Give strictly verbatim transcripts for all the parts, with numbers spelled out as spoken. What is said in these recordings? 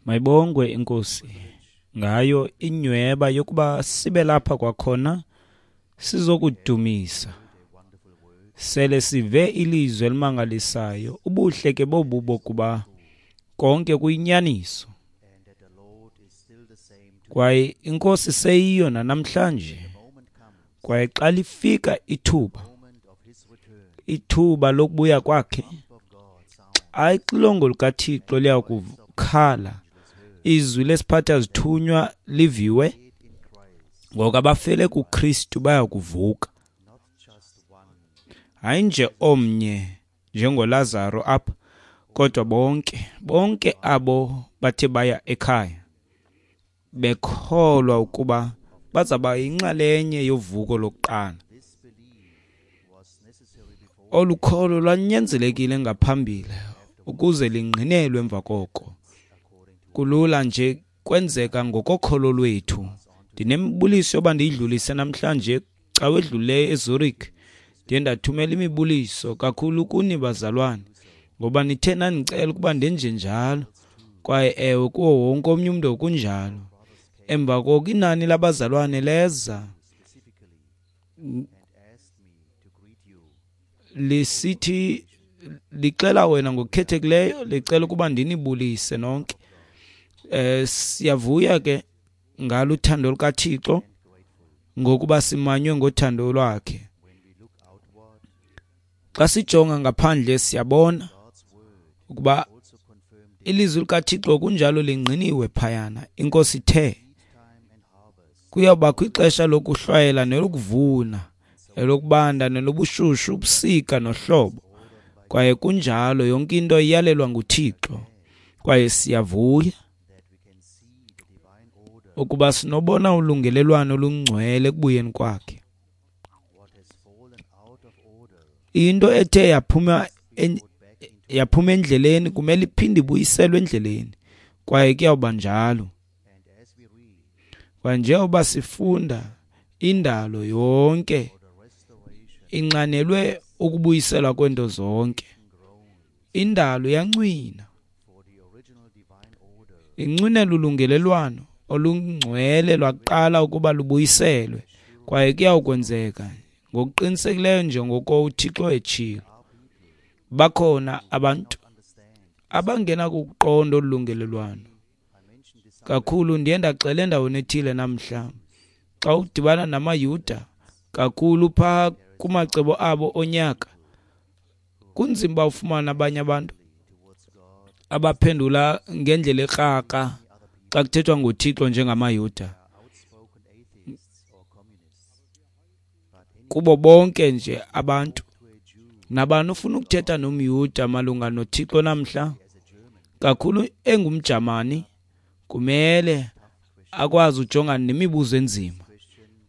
Mayibongwe iNkosi ngayo inyweba yokuba sibe lapha kwakhona sizokudumisa. Sele sive ilizwi elimangalisayo, ubuhle ke bobu bokuba konke kuyinyaniso. Kwaye iNkosi seyiyo nanamhlanje. Kwaye xa lifika ithuba, ithuba lokubuya kwakhe, xa ixilongo likaThixo liyakukhala, izwi lesiphatha zithunywa liviwe, ngoku abafele kuKristu bayakuvuka. Hayi nje omnye njengoLazaro apha, kodwa bonke, bonke abo bathe baya ekhaya bekholwa ukuba bazaba yinxalenye yovuko lokuqala. Olu kholo lwanyanzelekile ngaphambili ukuze lingqinelwe emva koko. Kulula nje kwenzeka ngokokholo lwethu. Ndinemibuliso yoba ndiyidlulise namhlanje xa wedlulileyo eZurich. Ndiye ndathumela imibuliso kakhulu kuni bazalwane, ngoba nithe nandicela ukuba ndenje njalo. Kwaye ewe, kuwo wonke omnye umntu kunjalo. Emva koko inani labazalwane leza lisithi lixela wena ngokukhethekileyo, licela ukuba ndinibulise nonke. Eh siyavuya ke ngalo uthando lukaThixo, ngokuba simanywe ngothando lwakhe. Xa sijonga ngaphandle siyabona ukuba ilizwi likaThixo kunjalo lingqiniwe phayana. INkosi ithe kuyawubakho ixesha lokuhlwayela nelokuvuna, elokubanda nelobushushu, ubusika nohlobo. Kwaye kunjalo, yonke into iyalelwa nguThixo. Kwaye siyavuya ukuba sinobona ulungelelwano olungcwele ekubuyeni kwakhe. Into ethe yaphuma yaphuma endleleni kumele iphinde ibuyiselwe endleleni, kwaye kuyawuba njalo. Kwaye njengoba sifunda, indalo yonke inxanelwe ukubuyiselwa kwento zonke. Indalo yancwina, incwinela ulungelelwano olungcwele lwaqala ukuba lubuyiselwe, kwaye kuyawukwenzeka ngokuqinisekileyo njengoko uThixo etshilo. Bakhona abantu abangena kuqonda olungelelwano kakhulu. Ndiye ndaxela endaweni ethile namhla, xa udibana namaYuda kakhulu phaa kumacebo abo onyaka, kunzima uba ufumane abanye abantu abaphendula ngendlela ekrakra xa kuthethwa ngoThixo njengamaYuda. Kubo bonke nje abantu, nabani ufuna ukuthetha nomYuda malunga noThixo namhla, kakhulu engumJamani, kumele akwazi ujongana nemibuzo enzima.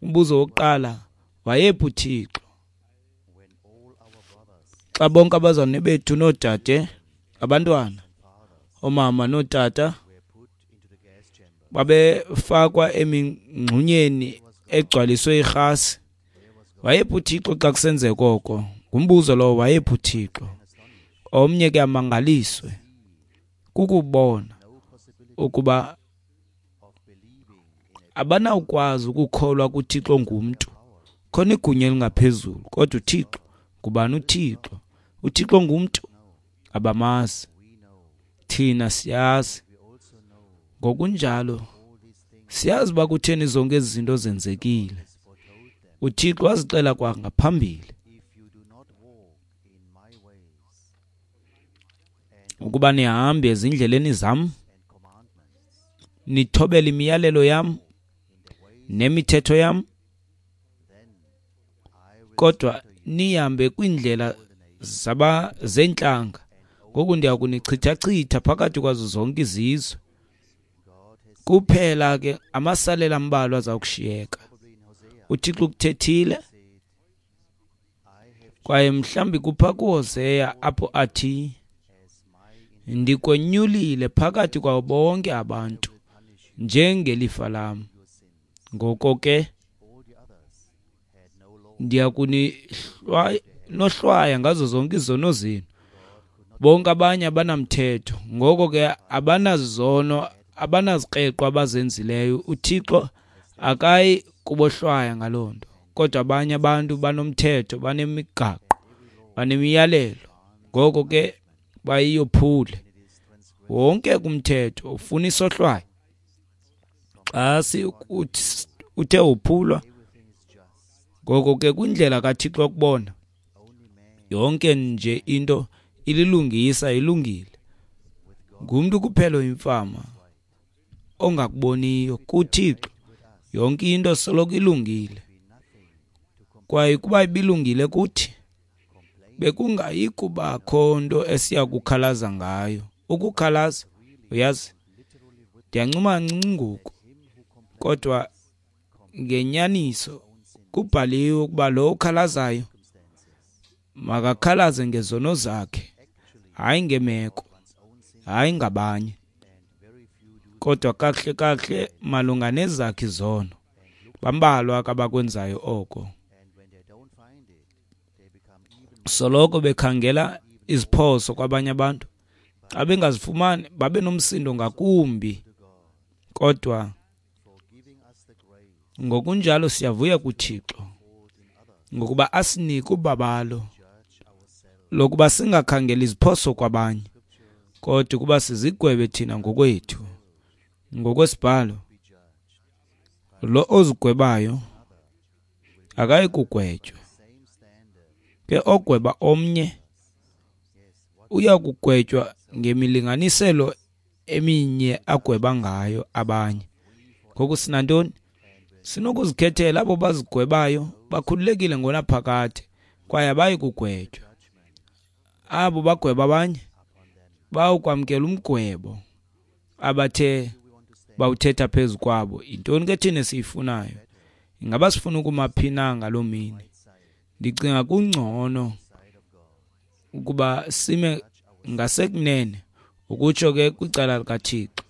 Umbuzo wokuqala, wayephi uThixo xa bonke abazalwane bethu noodade, abantwana, oomama nootata babefakwa emingxunyeni egcwaliswe irhasi? Wayephi uThixo xa kusenzeka oko? Ngumbuzo lowo, wayephi uThixo? Omnye ke amangaliswe kukubona ukuba abanawukwazi ukukholwa kuThixo ngumntu. Khona igunya elingaphezulu, kodwa uThixo ngubani? UThixo uThixo ngumntu, abamazi. Thina siyazi. Ngokunjalo siyazi uba kutheni zonke ezi zinto zenzekile. uThixo wazixela kwangaphambili ukuba nihambe ezindleleni zam, nithobele imiyalelo yam nemithetho yam, kodwa nihambe kwiindlela zaba zentlanga. Ngoku ndiya kunichithachitha phakathi kwazo zonke izizwe. Kuphela ke amasalela ambalwa aza kushiyeka. uThixo ukuthethile, kwaye mhlawumbi kupha kuHoseya apho athi, ndikonyulile phakathi kwabo bonke abantu njengelifa lam. Ngoko ke ndiya kuninohlwaya ngazo zonke izono zenu. Bonke abanye abanamthetho, ngoko ke abanazono, abanazikreqo abazenzileyo. UThixo akayi kubohlwaya ngaloo nto. Kodwa abanye abantu banomthetho, banemigaqo, banemiyalelo, ngoko ke bayiyophule. Wonke umthetho ufuna isohlwayo. Xa uthe wophulwa, ngoko ke kwindlela kaThixo yokubona, yonke nje into ililungisa, ilungile. Ngumntu kuphela oyimfama ongakuboniyo. KuThixo yonke into soloko ilungile. Kwaye ukuba ibilungile kuthi, bekungayi kubakho nto esiya kukhalaza ngayo. Ukukhalaza, uyazi, ndiyancuma kancinci ngoku, kodwa ngenyaniso kubhaliwe ukuba lo ukhalazayo makakhalaze ngezono zakhe, hayi ngemeko, hayi ngabanye, kodwa kakuhle kakuhle malunga nezakhe izono. Bambalwa abakwenzayo oko. Soloko bekhangela iziphoso kwabanye abantu. Xa bengazifumani babe nomsindo ngakumbi. Kodwa ngokunjalo siyavuya kuThixo ngokuba asinike ubabalo lokuba singakhangeli iziphoso kwabanye, kodwa ukuba sizigwebe thina ngokwethu. Ngokwesibhalo, lo ozigwebayo akayi kugwetywa, ke ogweba omnye uya kugwetywa ngemilinganiselo eminye agweba ngayo abanye. Ngoku sinantoni? Sinokuzikhethela. Abo bazigwebayo bakhululekile ngonaphakade kwaye abayi kugwetywa. Abo bagweba abanye bawukwamkela umgwebo abathe bawuthetha phezu kwabo. Yintoni ke thina esiyifunayo? Ingaba sifuna ukuma phi na ngaloo mini? Ndicinga kungcono ukuba sime ngasekunene, ukutsho ke kwicala likaThixo,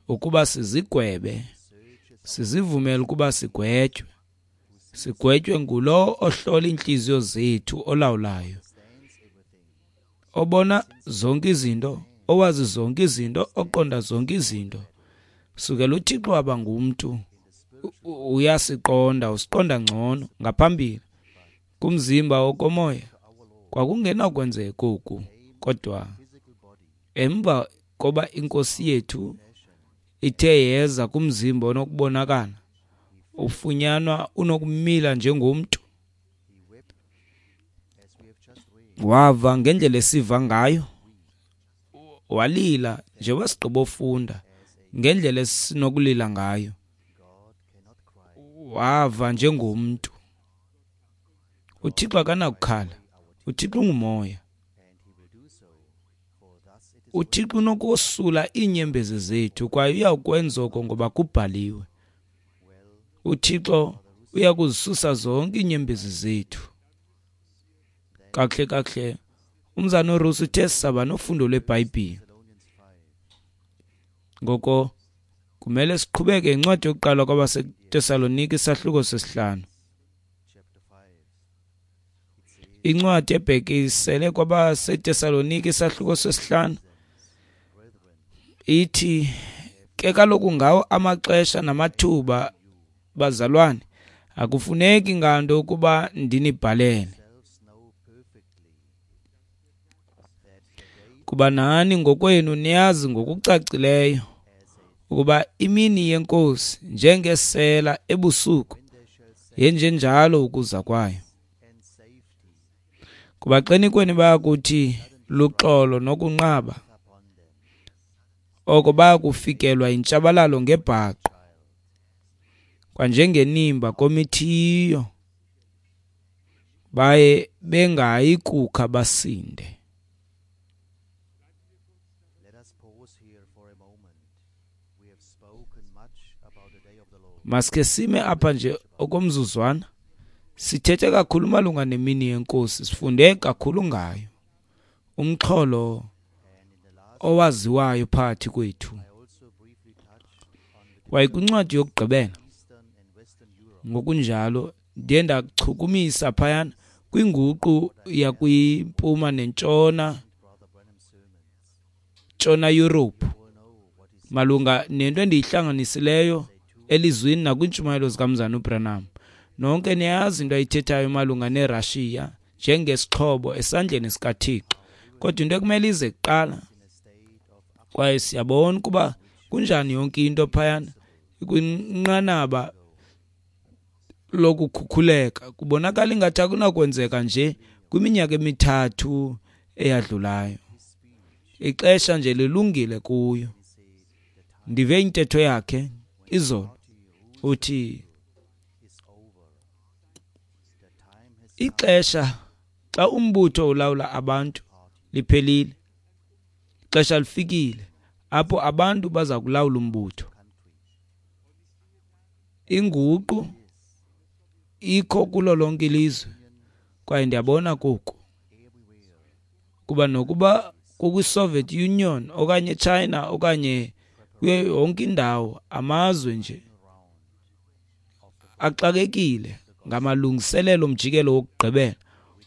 ukuba sizigwebe, sizivumele ukuba sigwetywe. Sigwetywe ngulo ohlola iintliziyo zethu, olawulayo, obona zonke izinto, owazi zonke izinto, oqonda zonke izinto. Sukela uThixo waba ngumntu, uyasiqonda, usiqonda ngcono ngaphambili. Kumzimba wokomoya kwakungenakwenzeka oku, kodwa emva koba iNkosi yethu ithe yeza kumzimba onokubonakala, ufunyanwa unokumila njengomntu, wava ngendlela esiva ngayo, walila njengoba sigqibofunda ngendlela esinokulila ngayo, wava njengomntu. UThixo akanakukhala. UThixo ungumoya. UThixo unokosula iinyembezi zethu, kwaye uyakwenza oko ngoba kubhaliwe. UThixo uyakuzisusa zonke iinyembezi zethu. Kakuhle kakuhle, umzana uRusi uthe sisaba nofundo lweBhayibhile. Ngoko kumele siqhubeke incwadi yokuqala kwabaseTesalonike isahluko sesihlanu. Incwadi ebhekisele kwabaseTesalonike isahluko sesihlanu ithi, ke kaloku ngawo amaxesha namathuba, bazalwane, akufuneki nganto ukuba ndinibhalele, kuba nani ngokwenu niyazi ngokucacileyo ukuba imini yeNkosi njengesela ebusuku yenjenjalo ukuza kwayo. Kuba xenikweni bayakuthi luxolo nokunqaba, oko bayakufikelwa yintshabalalo ngebhaqo, kwanjengenimba komithiyo, baye bengayi kukha basinde. Masikhe sime apha nje okomzuzwana. Sithethe kakhulu malunga nemini yeNkosi, sifunde kakhulu ngayo, umxholo owaziwayo phakathi kwethu. Kwaye kwincwadi yokugqibela ngokunjalo ndiye ndachukumisa phayana kwinguqu yakwimpuma nentshona Ntshona Yurophu malunga nento endiyihlanganisileyo elizwini nakwiintshumayelo zikaMzana uBranham. Nonke niyayazi into ayithethayo malunga neRashiya njengesixhobo esandleni sikaThixo, kodwa into ekumele ize kuqala. Kwaye siyabona ukuba kunjani yonke into phayana ikwinqanaba lokukhukhuleka. Kubonakala ingathi akunakwenzeka nje kwiminyaka emithathu eyadlulayo. Ixesha nje lilungile kuyo. Ndive intetho yakhe izolo, uthi ixesha xa umbutho ulawula abantu liphelile. Ixesha lifikile apho abantu baza kulawula umbutho. Inguqu ikho kulo lonke ilizwe, kwaye ndiyabona koku kuba nokuba kukwi-Soviet Union okanye China okanye kuyo yonke indawo, amazwe nje axakekile ngamalungiselelo omjikelo wokugqibela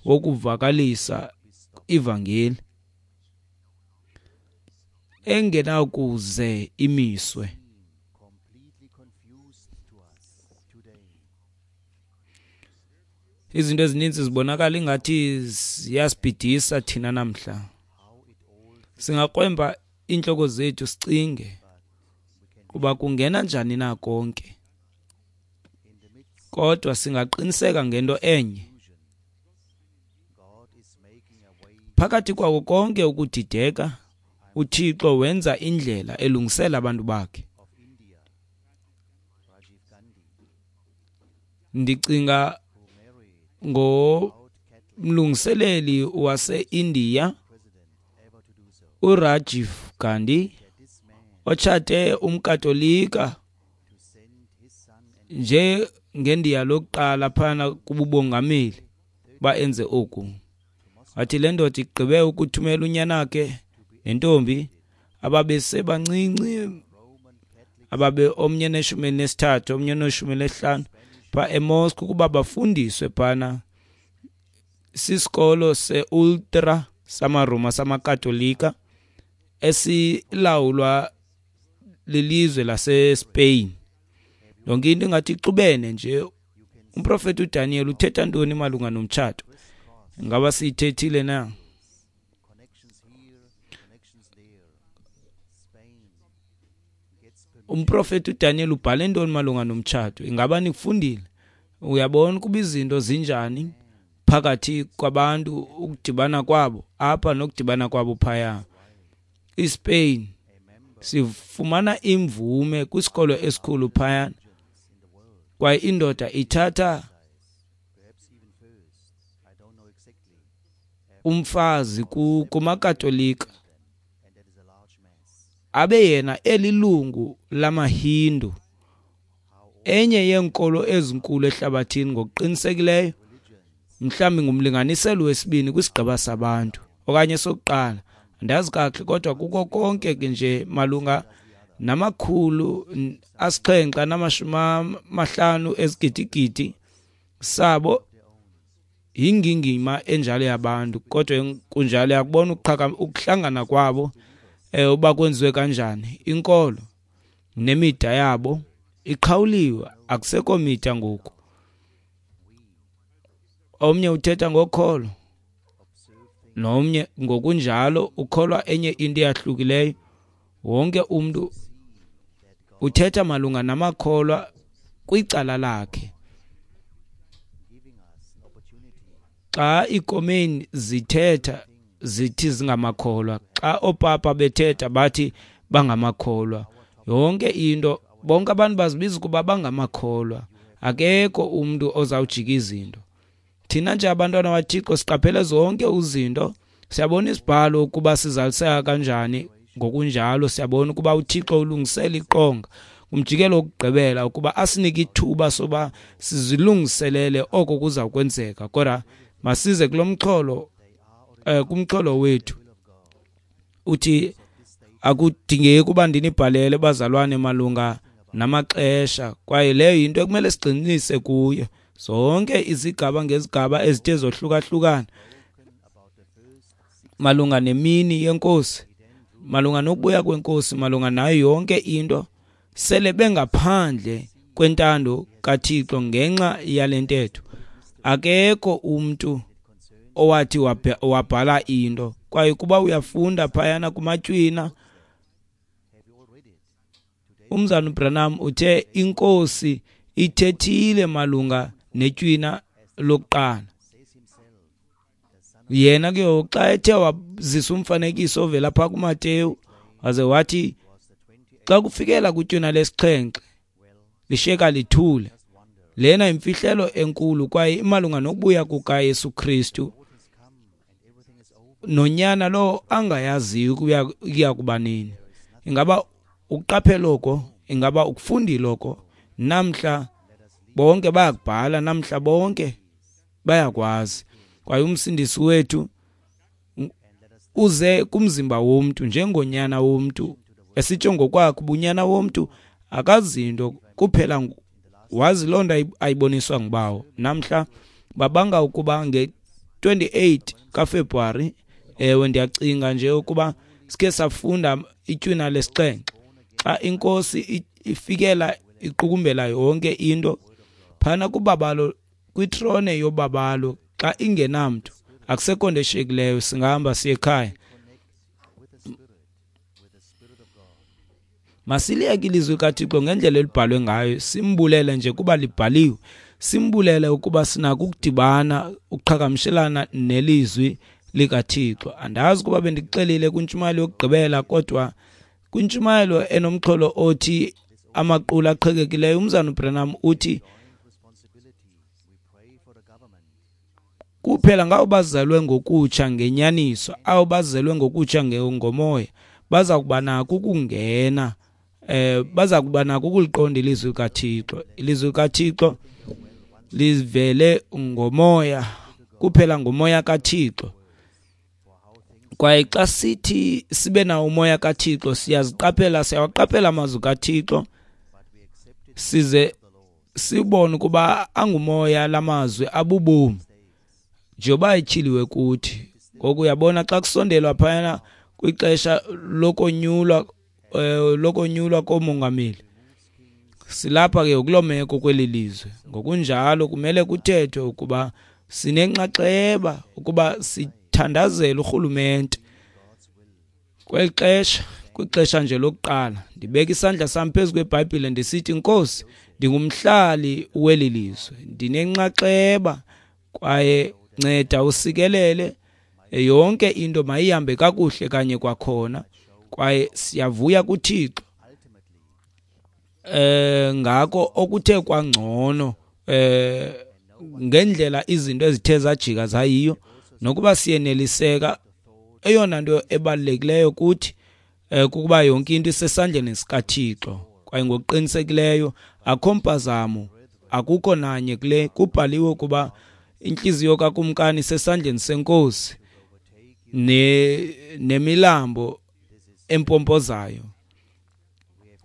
wokuvakalisa ivangeli engenakuze imiswe. Izinto ezininzi zibonakala ingathi ziyasibhidisa thina namhla. Singakrwempa iintloko zethu sicinge kuba kungena njani na konke, kodwa singaqiniseka ngento enye: phakathi kwako konke ukudideka, uThixo wenza indlela elungisela abantu bakhe. Ndicinga ngomlungiseleli wase-India uRajiv Gandhi, otshate umKatolika njengendiya lokuqala phana kububongameli uba enze oku. Wathi le ndoda igqibe ukuthumela unyana wakhe nentombi ababesebancinci, ababe omnye neshumi elinesithathu omnye neshumi elineshlanu, pha eMoscow ukuba bafundiswe phana sisikolo se-ultra samaRoma samaKatolika esilawulwa lilizwe laseSpain. Yonke into ingathi ixubene nje. Umprofeti uDaniel uthetha ntoni malunga nomtshato? Ingaba siyithethile na? Umprofeti uDaniel ubhale ntoni malunga nomtshato? Ingaba nikufundile? Uyabona ukuba izinto zinjani phakathi kwabantu, ukudibana kwabo apha nokudibana kwabo phaya. ISpain sifumana imvume kwisikolo esikhulu phaya, kwaye indoda ithatha umfazi kumaKatolika abe yena elilungu lamaHindu, enye yeenkolo ezinkulu ehlabathini ngokuqinisekileyo, mhlawumbi ngumlinganiselo wesibini kwisigqeba sabantu okanye sokuqala, andazi kakuhle, kodwa kuko konke ke nje malunga namakhulu asixhenxe namashumi amahlanu ezigidigidi sabo yingingima enjalo yabantu. Kodwa kunjalo yakubona ukuhlangana kwabo eh uba kwenziwe kanjani. Inkolo nemida yabo iqhawuliwe, akusekho mida ngoku. Omnye uthetha ngokholo, nomnye ngokunjalo ukholwa enye into eyahlukileyo. Wonke umntu uthetha malunga namakholwa kwicala lakhe. Xa iikomeni zithetha zithi zingamakholwa, xa oopapa bethetha bathi bangamakholwa. Yonke into, bonke abantu bazibiza ukuba bangamakholwa. Akekho umntu ozawujika izinto. Thina nje abantwana baThixo siqaphele zonke izinto, siyabona isibhalo ukuba sizaliseka kanjani. Ngokunjalo siyabona ukuba uThixo ulungisela iqonga kumjikelo wokugqibela ukuba asinike ithuba soba sizilungiselele oko kuza kwenzeka. Kodwa masize kulo mxholo, eh kumxholo wethu uthi akudingeki ukuba ndinibhalele bazalwane malunga namaxesha, kwaye leyo yinto ekumele sigxininise kuyo. Zonke izigaba ngezigaba ezithe zohlukahlukana malunga nemini yenkosi malunga nokubuya kwenkosi, malunga nayo yonke into, sele bengaphandle kwentando kaThixo ngenxa yale ntetho. Akekho umntu owathi wabhala into. Kwaye kuba uyafunda phayana kuMatywina, umzana uBranham uthe inkosi ithethile malunga netywina lokuqala. Yena ke xa ethe wazisa umfanekiso ovela phaa kuMateyu, waze wathi xa kufikela kwitywina lesixhenxe lishiyeka lithule. Lena imfihlelo enkulu kwaye imalunga nokubuya kukaYesu Kristu nonyana lo angayaziyo kuya kuba nini. Ingaba ukuqaphela oko? Ingaba ukufundile oko? Namhla bonke bayakubhala, namhla bonke bayakwazi. Kwaye umsindisi wethu uze kumzimba womntu njengonyana womntu, esitsho ngokwakhe ubunyana womntu akazinto kuphela wazi loo nto ayiboniswa ngubawo. Namhla babanga ukuba nge-twenty-eight kaFebruwari, ewe ndiyacinga nje ukuba sikhe safunda itywina lesixhenxe, xa inkosi ifikela iqukumbela yonke into phana kubabalo, kwitrone yobabalo, xa ingenamntu akusekho nto eshiyekileyo, singahamba siye ekhaya. Masiliyeke ilizwi likaThixo ngendlela elibhalwe ngayo, simbulele nje kuba libhaliwe, simbulele ukuba sinako ukudibana, ukuqhagamshelana nelizwi likaThixo. Andazi kuba bendikuxelile kwintshumayelo yokugqibela, kodwa kwintshumayelo enomxholo othi amaqula aqhekekileyo, umzana uBranham uthi kuphela ngabo bazelwe ngokutsha ngenyaniso, abo bazelwe ngokutsha ngomoya, baza kuba nako ukungena, eh baza kuba nako ukuliqonda ilizwi likaThixo. Ilizwi likaThixo livele ngomoya, kuphela ngomoya kaThixo. Kwaye xa sithi sibe nawo umoya kaThixo, siyaziqaphela, siyawaqaphela amazwi kaThixo, size sibone ukuba angumoya lamazwi abubomi njengoba etyhiliwe kuthi. Ngoku uyabona xa kusondelwa phayana kwixesha lokonyulwa, eh, lokonyulwa komongameli, silapha ke kuloo meko kweli lizwe. Ngokunjalo kumele kuthethwe ukuba sinenxaxheba ukuba sithandazele urhulumente kweli xesha, kwixesha nje lokuqala. Ndibeka isandla sam phezu kweBhayibhile ndisithi, Nkosi, ndingumhlali weli lizwe, ndinenxaxheba, kwaye nceda usikelele yonke into mayihambe kakuhle kanye kwakhona. Kwaye siyavuya kuThixo eh ngako okuthe kwangcono eh ngendlela izinto ezithe zajika zayiyo, nokuba siyeneliseka. Eyona nto ebalulekileyo kuthi eh kukuba yonke into isesandleni sikaThixo, kwaye ngokuqinisekileyo akho mpazamo, akukho nanye kule. Kubhaliwe ukuba inhliziyo kakumkani isesandleni senkosi ne nemilambo empompozayo.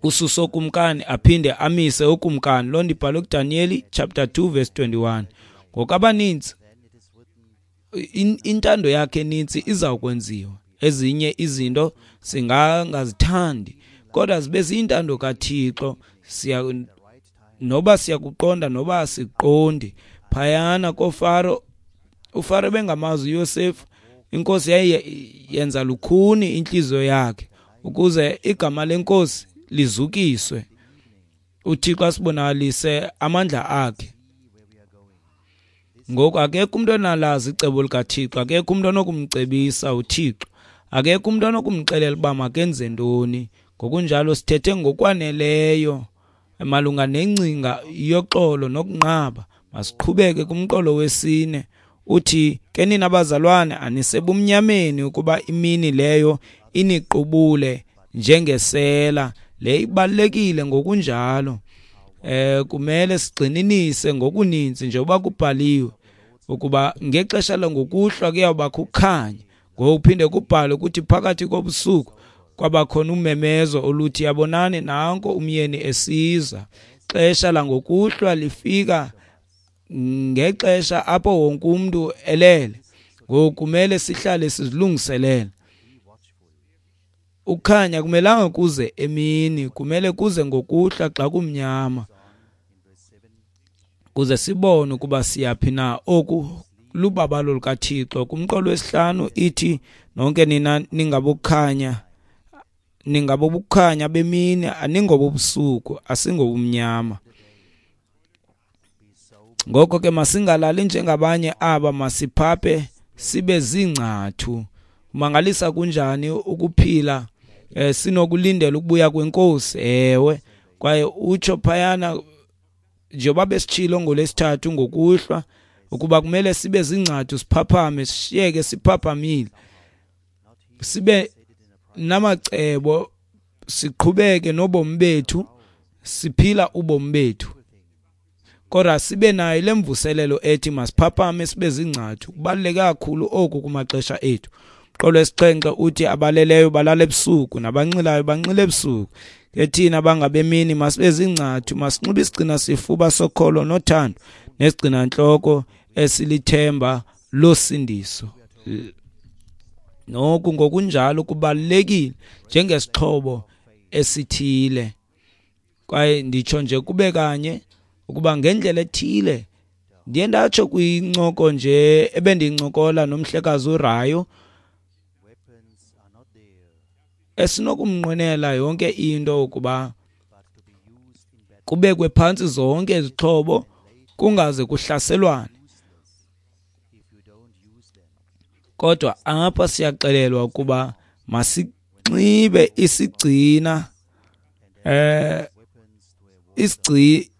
Ususo ukumkani aphinde amise ukumkani. Loo nto ibhalwe kuDaniyeli chapter two verse twenty-one. Ngokubaninzi intando yakhe eninzi izawukwenziwa, ezinye izinto singangazithandi, kodwa zibe ziyintando kaThixo. Siya noba siyakuqonda noba asiqondi. Phayana koFaro, uFaro bengamazi uYosefu, inkosi yayenza lukhuni inhliziyo yakhe ukuze igama lenkosi lizukiswe, uThixo asibonakalise amandla akhe. Ngoku akekho umuntu onalazi icebo likaThixo, akekho umuntu onokumcebisa uThixo, akekho umuntu onokumxelela uba makenze ntoni. Ngokunjalo sithethe ngokwaneleyo malunga nengcinga yoxolo nokunqaba. Masiqhubeke kumqolo wesine. Uthi ke nina bazalwane, anisebumnyameni ukuba imini leyo iniqubule njengesela. Le ibalulekile ngokunjalo. Eh kumele sigxininise ngokuninzi njengoba kubhaliwe ukuba ngexesha langokuhlwa kuyawubakho ukukhanya. Ngokuphinde kubhalwe ukuthi phakathi kobusuku kwabakhona umemezo oluthi, yabonani nanko umyeni esiza. Xesha langokuhlwa lifika ngexesha apho wonke umuntu elele. Ngoku kumele sihlale sizilungiselele. Ukukhanya kumelanga kuze emini, kumele kuze ngokuhlwa xa kumnyama, kuze sibone ukuba siyaphi na. Oku lubabalo lukaThixo. Kumqolo wesihlanu ithi nonke nina ningabokukhanya, ningabobukhanya bemini, aningobobusuku, asingobumnyama. Ngoko ke masingalali njengabanye aba, masiphaphe sibe ziingcathu. Mangalisa kunjani ukuphila eh, sinokulindela ukubuya kwenkosi. Ewe, kwaye utsho phayana njengoba besitshilo ngolwesithathu ngokuhlwa ukuba kumele sibe zingcathu, siphaphame, sishiyeke siphaphamile, sibe namacebo, siqhubeke nobomi bethu, siphila ubomi bethu, kodwa sibe nayo le mvuselelo ethi masiphaphame sibe zingcathu. Kubaluleke kakhulu oku kumaxesha ethu. Umqolo wesixhenxe uthi abaleleyo balala ebusuku, nabanxilayo banxila ebusuku. Ke thina bangabemini masibe zingcathu, masinxibe isigcina sifuba sokholo nothando, nesigcina ntloko esilithemba losindiso. Noku ngokunjalo kubalulekile njengesixhobo esithile. Kwaye nditsho nje kube kanye ukuba ngendlela ethile ndiye ndatsho kwincoko nje ebendincokola nomhlekazi uRayo, esinokumnqwenela yonke into ukuba kubekwe phantsi zonke izixhobo kungaze kuhlaselwane. Kodwa apha siyaxelelwa ukuba masinxibe isigcina eh isigci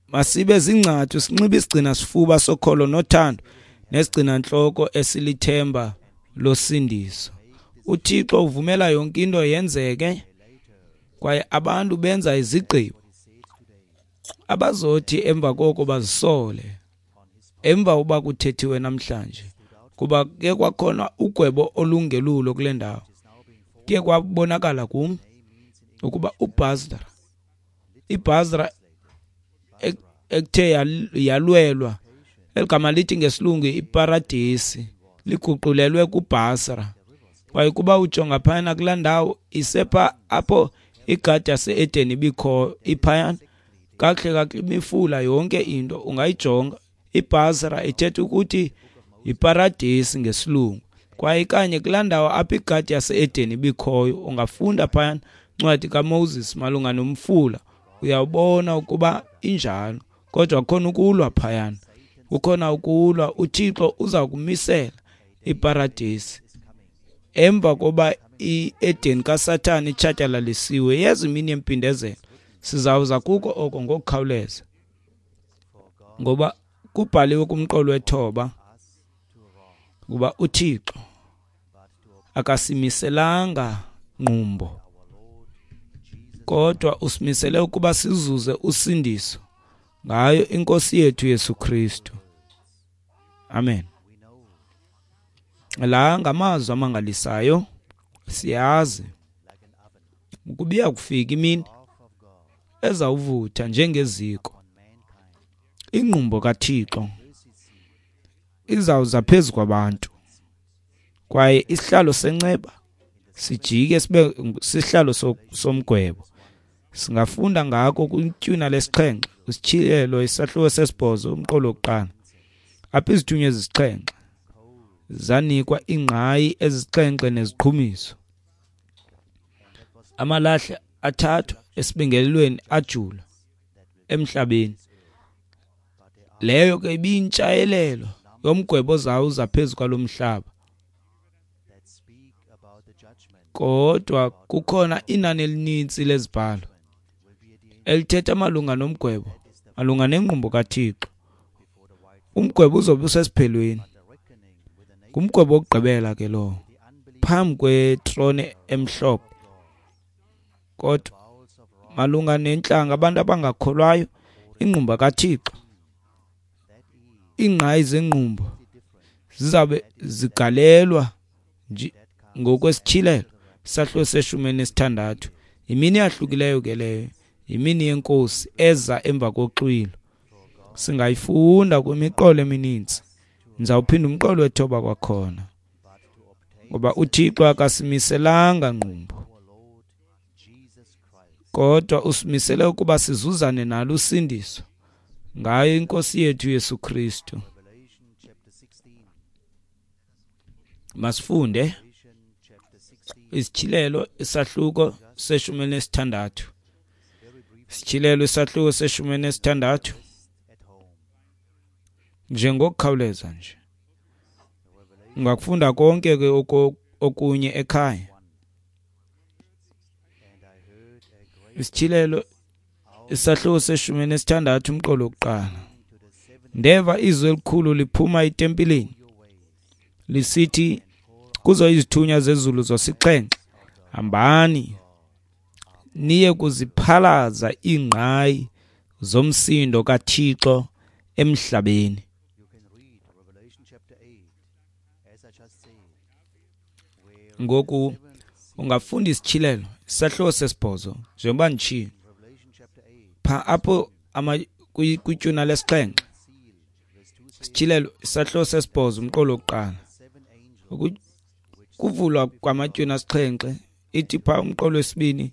masibe zingcathu, sinxibe isigcina sifuba sokholo nothando, nesigcina ntloko esilithemba losindiso. UThixo uvumela yonke into yenzeke, kwaye abantu benza izigqibo abazothi emva koko bazisole emva uba kuthethiwe namhlanje, kuba ke kwakhona ugwebo olungelulo kule ndawo. Kuye kwabonakala kum ukuba uBasra, iBasra ekuthe yalwelwa, eligama lithi ngesilungu iparadesi, liguqulelwe kuBasra. Kwaye kuba ujonga phayana kulaa ndawo isepha apho igadi yase-Eden ibikho, iphayana kakuhle kakuhle imifula yonke into ungayijonga. IBasra ithetha ukuthi yiparadesi ngesilungu, kwaye kanye kulaa ndawo apho igadi yase-Eden ibikhoyo. Ungafunda phayana incwadi kaMoses malunga nomfula, uyawubona ukuba injalo. Kodwa kukhona ukulwa phayana, kukhona ukulwa. UThixo uza kumisela iparadesi emva koba i-Eden kaSathane itshatyalalisiwe. Yeza imini yempindezelo, sizawuza kuko oko ngokukhawuleza, ngoba kubhaliwe kumqolo wethoba ukuba uThixo akasimiselanga ngqumbo, kodwa usimisele ukuba sizuze usindiso ngayo iNkosi yethu Yesu Kristu. Amen. La ngamazwi amangalisayo. Siyazi ukuba iya kufika imini ezawuvutha njengeziko. Ingqumbo kaThixo izawuza phezu kwabantu, kwaye isihlalo senceba sijike sibe sihlalo somgwebo. Singafunda ngako kwitywina lesixhenxe, kwisitshilelo isahluko sesibhozo, umqolo wokuqala, apho izithunywa ezisixhenxe zanikwa iingqayi ezisixhenxe neziqhumiso. Amalahle athathwa esibingelelweni ajula emhlabeni. Leyo ke ibiyintshayelelo yomgwebo ozawuza phezu kwalo mhlaba. Kodwa kukhona inani elinintsi lezibhalo elithetha malunga nomgwebo, malunga nengqumbo kaThixo. Umgwebo uzobe usesiphelweni, ngumgwebo wokugqibela ke lowo, phambi kwetrone emhlophe. Kodwa malunga nentlanga, abantu abangakholwayo, ingqumbo kaThixo, iingqayi zengqumbo zizabe zigalelwa ngokwesityhilelo isahluko seshumi elinesithandathu. Yimini eyahlukileyo ke leyo, yimini yenkosi eza emva koxwilo. Singayifunda kwimiqolo emininzi. Ndizawuphinda umqolo wethoba kwakhona. Ngoba uThixo akasimiselanga ngqumbo, kodwa usimisele ukuba sizuzane nalo usindiso ngayo iNkosi yethu Yesu Kristu. Masifunde Isityhilelo isahluko seshumi elinesithandathu. Isityhilelo isahluko seshumi elinesithandathu njengokukhawuleza nje. Ungakufunda konke ke okunye ekhaya. Isityhilelo isahluko seshumi elinesithandathu umqolo wokuqala. Ndeva izwi elikhulu liphuma etempileni lisithi kuzo izithunywa zezulu zosixhenxe, hambani niye kuziphalaza iingqayi zomsindo kaThixo emhlabeni. Ngoku ungafunda Isityhilelo isahluko sesibhozo njengoba nditshilo pha apho kwitywina lesixhenxe. Isityhilelo isahluko sesibhozo umqolo wokuqala. Kuvulwa kwamatywina asixhenxe, ithi pha umqolo wesibini,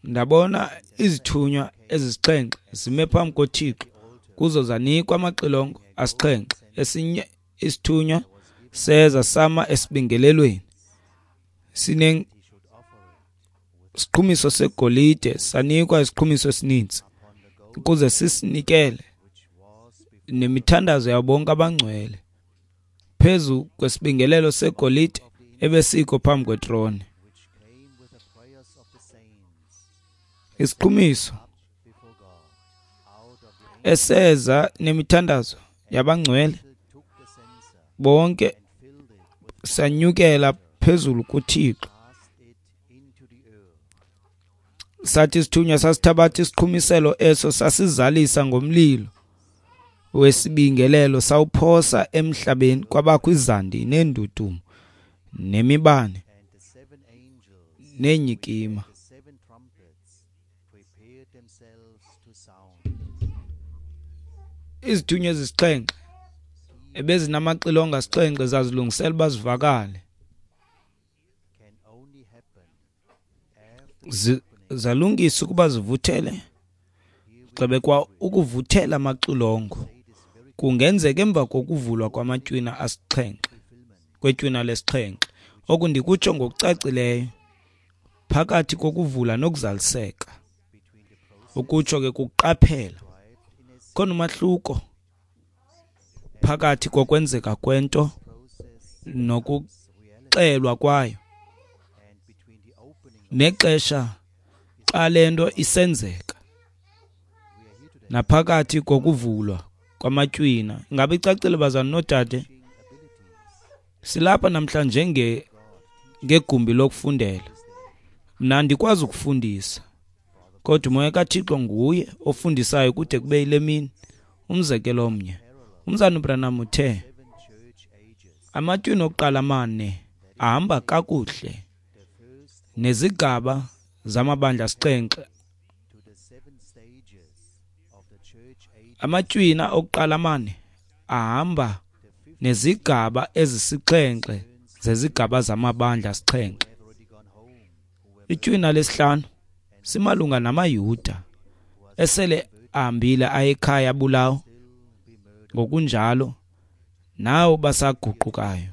ndabona izithunywa ezisixhenxe zime phambi koThixo, kuzo zanikwa amaxilongo asixhenxe. Esinye isithunywa seza sama esibingelelweni sinesiqhumiso segolide, sanikwa isiqhumiso esininzi ukuze sisinikele nemithandazo yabo bonke abangcwele phezu kwesibingelelo segolide ebesikho phambi kwetrone. Isiqhumiso eseza nemithandazo yabangcwele bonke sanyukela phezulu kuThixo. Sathi isithunywa sasithabatha isiqhumiselo eso sasizalisa ngomlilo wesibingelelo, sawuphosa emhlabeni, kwabakho izandi neendudumo nemibane neenyikima. Izithunywa ezisixhenxe ebezinamaxilongo asixhenxe zazilungisela uba zivakale. Zalungisa ukuba zivuthele, gxebe kwa ukuvuthela amaxilongo kungenzeka emva kokuvulwa kwamatywina asixhenxe, kwetywina lesixhenxe. Oku ndikutsho ngokucacileyo phakathi kokuvula nokuzaliseka. Ukutsho ke kuqaphela khona umahluko phakathi kokwenzeka kwento nokuxelwa kwayo nexesha xa le nto isenzeka, naphakathi kokuvulwa kwamatywina. Ingabe icacile bazalwane noodade? Silapha namhlanje nge ngegumbi lokufundela. Mna andikwazi ukufundisa, kodwa uMoya kaThixo nguye ofundisayo kude kube yile mini. Umzekelo omnye, umzana uBranham uthe amatywina okuqala amane ahamba kakuhle nezigaba zamabandla asixhenxe. Amatywina okuqala amane ahamba nezigaba ezisixhenxe zezigaba zamabandla asixhenxe. Itywina lesihlanu simalunga namaYuda esele ahambile ayekhaya abulawa, ngokunjalo nawo basaguqukayo,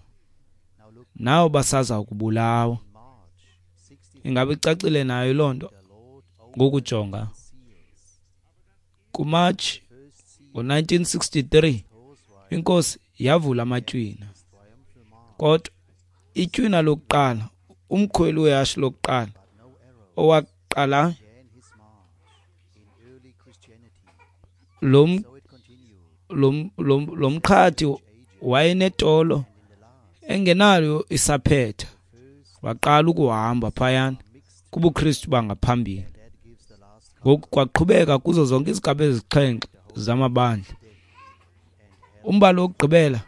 nawo basaza ukubulawa. Ingabe icacile nayo loo nto? Ngokujonga kuMatshi ngo-nineteen sixty-three iNkosi yavula amatywina, kodwa itywina lokuqala, umkhweli wehashe lokuqala owaqala lo mqhathi wayenetolo engenayo isaphetha, waqala ukuhamba phayana kubuKristu bangaphambili. Ngoku kwaqhubeka kuzo zonke izigaba ezixhenxe zamabandla. Umbalo wokugqibela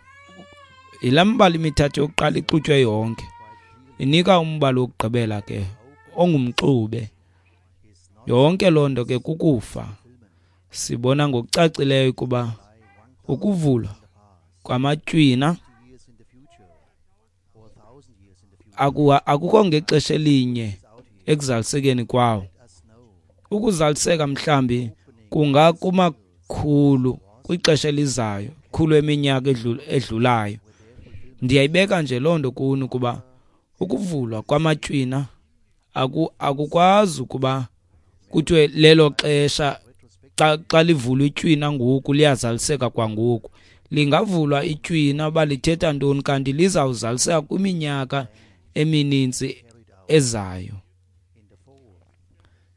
yilaa mibalo imithathu yokuqala ixutywe yonke, inika umbalo wokugqibela ke ongumxube. Yonke loo nto ke kukufa. Sibona ngokucacileyo ukuba ukuvulwa kwamatywina Akukho ngexesha elinye ekuzalisekeni kwawo. Ukuzaliseka mhlambi kungakumakhulu kwixesha elizayo, khulu eminyaka edlulayo. Ndiyayibeka nje loo nto kuni ukuba ukuvulwa kwamatywina aku akukwazi ukuba kuthiwe lelo xesha xa xa livulwa itywina ngoku liyazaliseka kwangoku. Lingavulwa itywina uba lithetha ntoni kanti lizawuzaliseka kwiminyaka emininzi ezayo.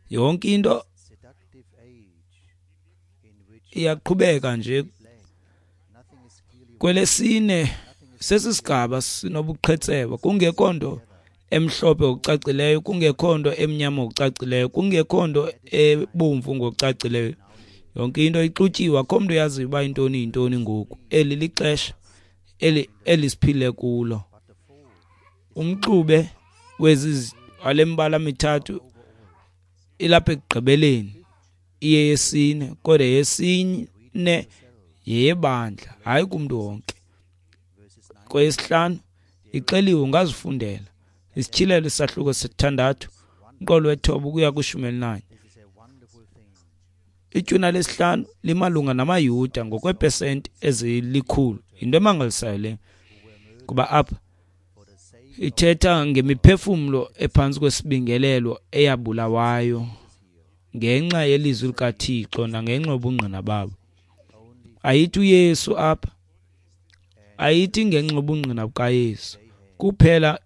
Yonke into iyaqhubeka nje. Kwelesine sesisigaba sinobuqhetseba, kungekho nto emhlophe ngokucacileyo, kungekho nto emnyama ngokucacileyo, kungekho nto ebomvu ngokucacileyo. Yonke into ixutyiwe, akho mntu uyaziyo uba intoni yintoni ngoku. Eli lixesha eli elisiphile kulo. Umxube wezi wale mibala mithathu ilapha ekugqibeleni, iye yesine, kodwa yesine yeyebandla, hayi kumntu wonke. Kweyesihlanu ixeliwe, ungazifundela. Isityhilelo isahluko sesithandathu, umqolo wethoba ukuya kwishumi elinanye. Itywina lesihlanu limalunga namaYuda ngokweepesenti ezilikhulu. Yinto emangalisayo le, kuba apha ithetha ngemiphefumlo ephantsi kwesibingelelo eyabulawayo ngenxa yelizwi likaThixo nangenxa yobungqina babo. Ayithi uYesu apha, ayithi ngenxa yobungqina bukaYesu kuphela,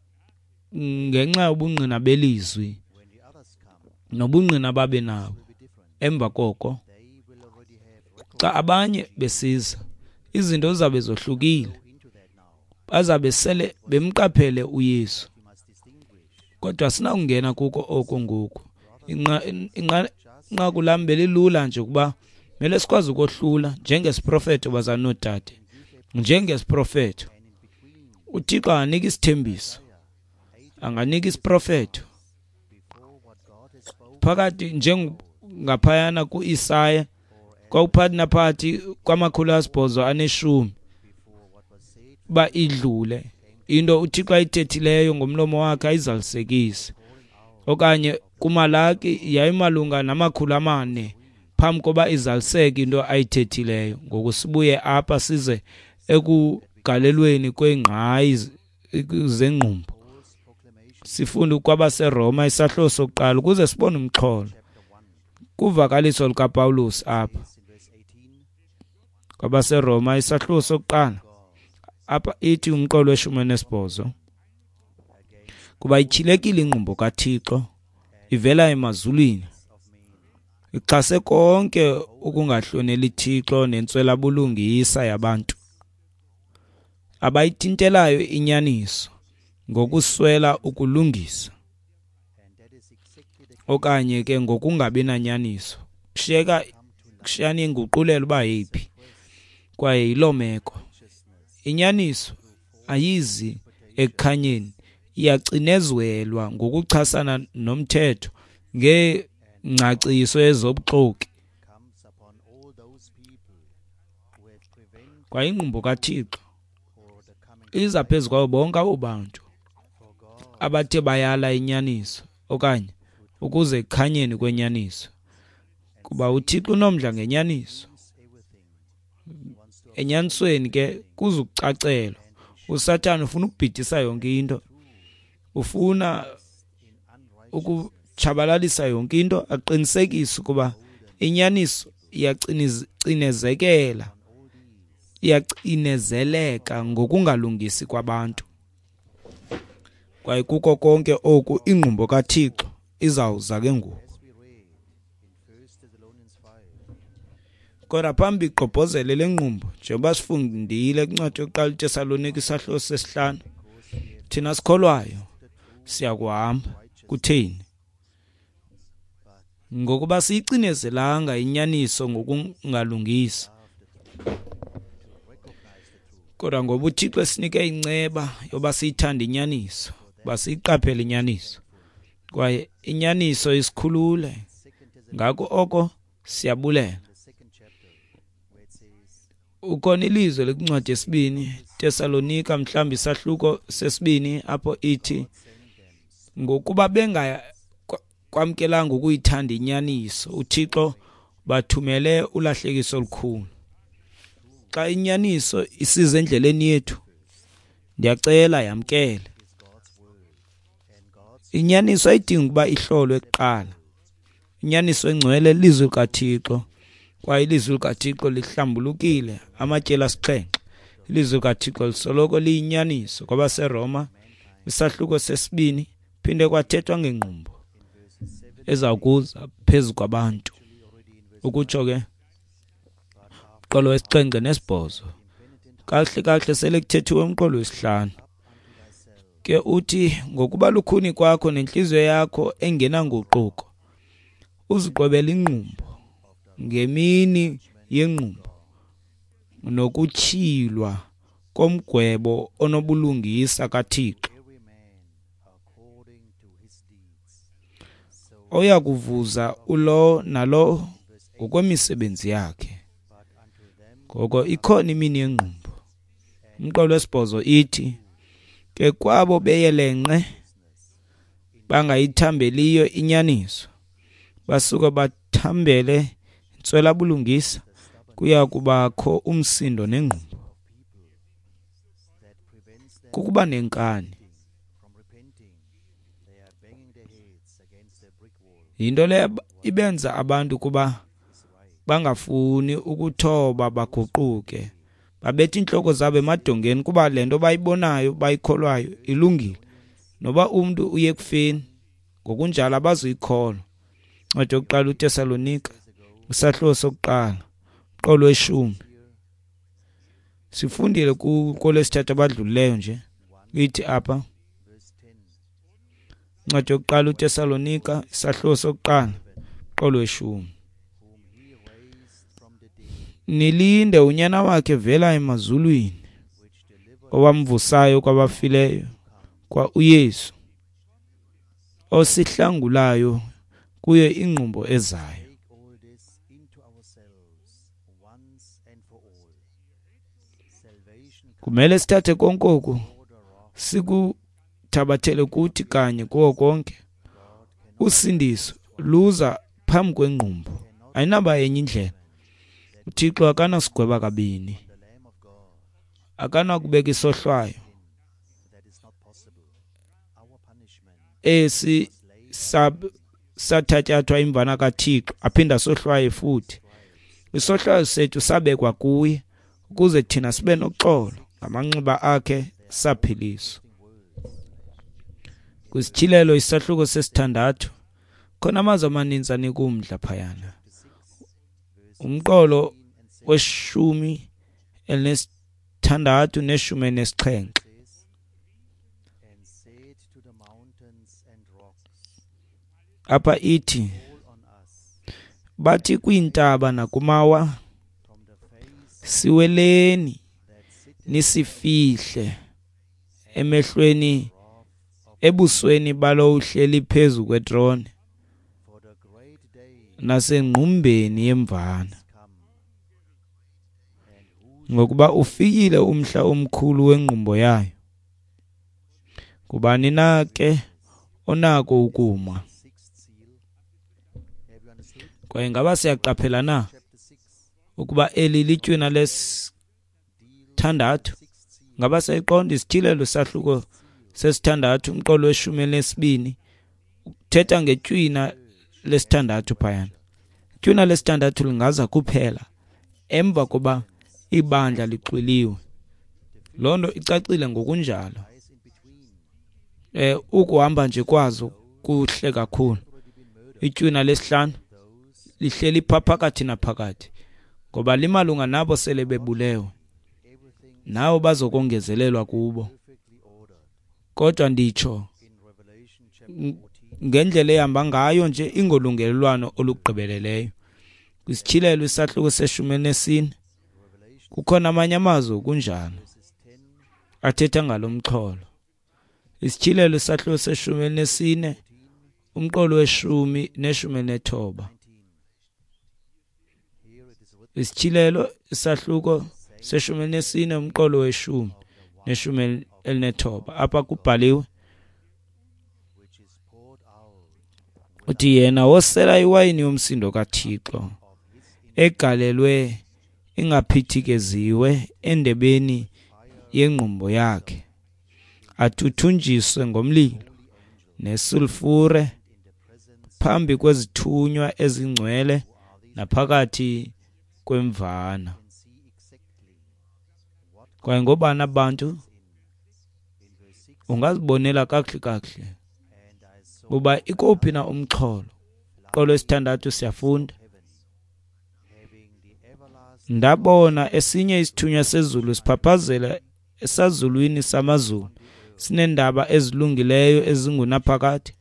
ngenxa yobungqina belizwi nobungqina babe nabo. Emva koko xa abanye besiza, izinto zizabe zohlukile, bazabe sele bemqaphele uYesu. Kodwa sinakungena kuko oko ngoku. Inqaku lam belilula nje ukuba mele sikwazi ukohlula njengesiprofeto, bazalwane noodade, njengesiprofeto. UThixo anganika isithembiso, anganika isiprofeto phakathi njengaphayana kuIsaya kwakuphakathi naphakathi kwamakhulu asibhozo aneshumi uba idlule into uThixo ayithethileyo ngomlomo wakhe ayizalisekise. Okanye kuMalaki yayimalunga namakhulu amane phambi koba izaliseke into ayithethileyo. Ngoku sibuye apha size ekugalelweni kweengqayi zengqumbo, sifunde kwabaseRoma isahluko sokuqala ukuze sibone umxholo kuvakaliso lukaPawulos apha. KwabaseRoma isahluko sokuqala apha ithi umqolo weshumi enesibhozo, kuba ityhilekile ingqumbo kaThixo ivela emazulwini, ixhase konke ukungahloneli Thixo nentswelabulungisa yabantu abayithintelayo inyaniso ngokuswela ukulungisa okanye ke ngokungabi nanyaniso. Kushiyeka kushiyana inguqulelo uba yeyiphi, kwaye yiloo meko. Inyaniso ayizi ekukhanyeni, iyacinezelwa ngokuchasana nomthetho ngengcaciso ezobuxoki. Kwaye ingqumbo kaThixo iza phezu kwabo bonke abo bantu abathe bayala inyaniso okanye ukuze ekukhanyeni kwenyaniso, kuba uThixo unomdla ngenyaniso. Enyanisweni ke kuzukucacelwa, uSathana ufuna ukubhidisa yonke into, ufuna ukutshabalalisa yonke into, aqinisekise ukuba inyaniso iyacinezekela, iyacinezeleka ngokungalungisi kwabantu. Kwaye kuko konke oku ingqumbo kaThixo izawuza ke ngoku. Kodwa phambi igqobhozele le ngqumbo, njengoba sifundile kwincwadi yokuqala iTesalonike isahluko sesihlanu, thina sikholwayo siyakuhamba. Kutheni? Ngokuba siyicinezelanga inyaniso ngokungalungisi, kodwa ngoba uThixo esinike inceba yoba siyithande inyaniso, uba siyiqaphele inyaniso, kwaye inyaniso isikhulule. Ngako oko siyabulela. Ukhona ilizwe lekwincwadi yesibini Tesalonika, mhlawumbi isahluko sesibini, apho ithi Ngokuba bengakwamkelanga ukuyithanda inyaniso, uThixo bathumele ulahlekiso olukhulu. Xa inyaniso isiza endleleni yethu, ndiyacela yamkele. Inyaniso ayidingi ukuba ihlolwe kuqala. Inyaniso engcwele lilizwi likaThixo, kwaye ilizwi likaThixo lihlambulukile amatyeli asixhenxe. Ilizwi likaThixo lisoloko liyinyaniso. KwabaseRoma isahluko sesibini phinde kwathethwa ngengqumbo eza kuza phezu kwabantu. Ukutsho ke umqolo wesixhenxe nesibhozo. Kahle kahle sele kuthethiwe umqolo wesihlanu. Ke uthi ngokuba lukhuni kwakho nentliziyo yakho engenanguquko, uziqwebela ingqumbo ngemini yengqumbo nokutyhilwa komgwebo onobulungisa kaThixo, oya kuvuza ulo nalo ngokwemisebenzi yakhe. Ngoko ikhona imini yengqumbo. Umqolo wesibhozo ithi ke kwabo beyelenqe bangayithambeliyo inyaniso, basuka bathambele intswela-bulungisa, kuya kubakho umsindo nengqumbo. Kukuba nenkani. Yinto le ibenza abantu kuba bangafuni ukuthoba baguquke, babetha iintloko zabo emadongeni kuba le nto bayibonayo bayikholwayo ilungile. Noba umntu uye ekufeni ngokunjalo abazuyikholwa. Incwadi yokuqala uTesalonika isahluko sokuqala umqolo weshumi. Sifundile kolwesithathu abadlulileyo nje. Ithi apha incwadi yokuqala uTesalonika isahluko sokuqala umqolo weshumi. Nilinde unyana wakhe vela emazulwini, owamvusayo kwabafileyo, kwa uYesu, osihlangulayo kuyo ingqumbo ezayo. Kumele sithathe konke oku sikuthabathele kuthi kanye kuwo konke. Usindiso luza phambi kwengqumbo, ayinaba enye indlela. UThixo akanasigweba kabini, akanakubeka isohlwayo esi sathatyathwa imvana kaThixo aphinda sohlwaye futhi. Isohlwayo sethu sabekwa kuye ukuze thina sibe noxolo, ngamanxeba akhe saphiliswa. Kwisityhilelo isahluko sesithandathu khona amazwi amaninzi anika umdla phayana. Umqolo weshumi elinesithandathu neshumi elinesixhenxe. Apha ithi bathi kwiintaba nakumawa, siweleni nisifihle emehlweni ebusweni balo uhleli phezu kwetrone nasengqumbeni yemvana, ngokuba ufikile umhla omkhulu wengqumbo yayo. Ngubani na ke onako ukuma? Kwaye ngaba siyaqaphela na ukuba eli litywina lesithandathu? Ngaba siyayiqonda isityhilelo sahluko sesithandathu umqolo weshumi elinesibini uthetha ngetywina lesithandathu phayana. Itywina lesithandathu lingaza kuphela emva koba ibandla lixwiliwe. Loo nto icacile ngokunjalo. Eh ukuhamba nje kwazo kuhle kakhulu. Itywina lesihlanu lihleli pha phakathi naphakathi, ngoba limalunga nabo sele bebulewe, nabo bazokongezelelwa kubo. Kodwa nditsho ngendlela ehamba ngayo nje ingolungelelwano olugqibeleleyo. Kwisityhilelo isahluko seshumi elinesine kukhona amanye amazwi kunjalo athetha ngalo mxholo. Isityhilelo isahluko seshumi elinesine umqolo weshumi neshumi elinethoba. Isityhilelo isahluko seshumi elinesine umqolo weshumi neshumi elinethoba. Apha kubhaliwe Uthi yena wosela iwayini yomsindo kaThixo egalelwe ingaphithikeziwe endebeni yengqumbo yakhe, athuthunjiswe ngomlilo nesulfure phambi kwezithunywa ezingcwele naphakathi kwemvana. Kwaye ngobani abantu ungazibonela kakuhle kakuhle uba ikophi na umxholo. Qolo esithandathu siyafunda. Ndabona esinye isithunywa sezulu siphaphazela esazulwini samazulu, sineendaba ezilungileyo ezingunaphakade,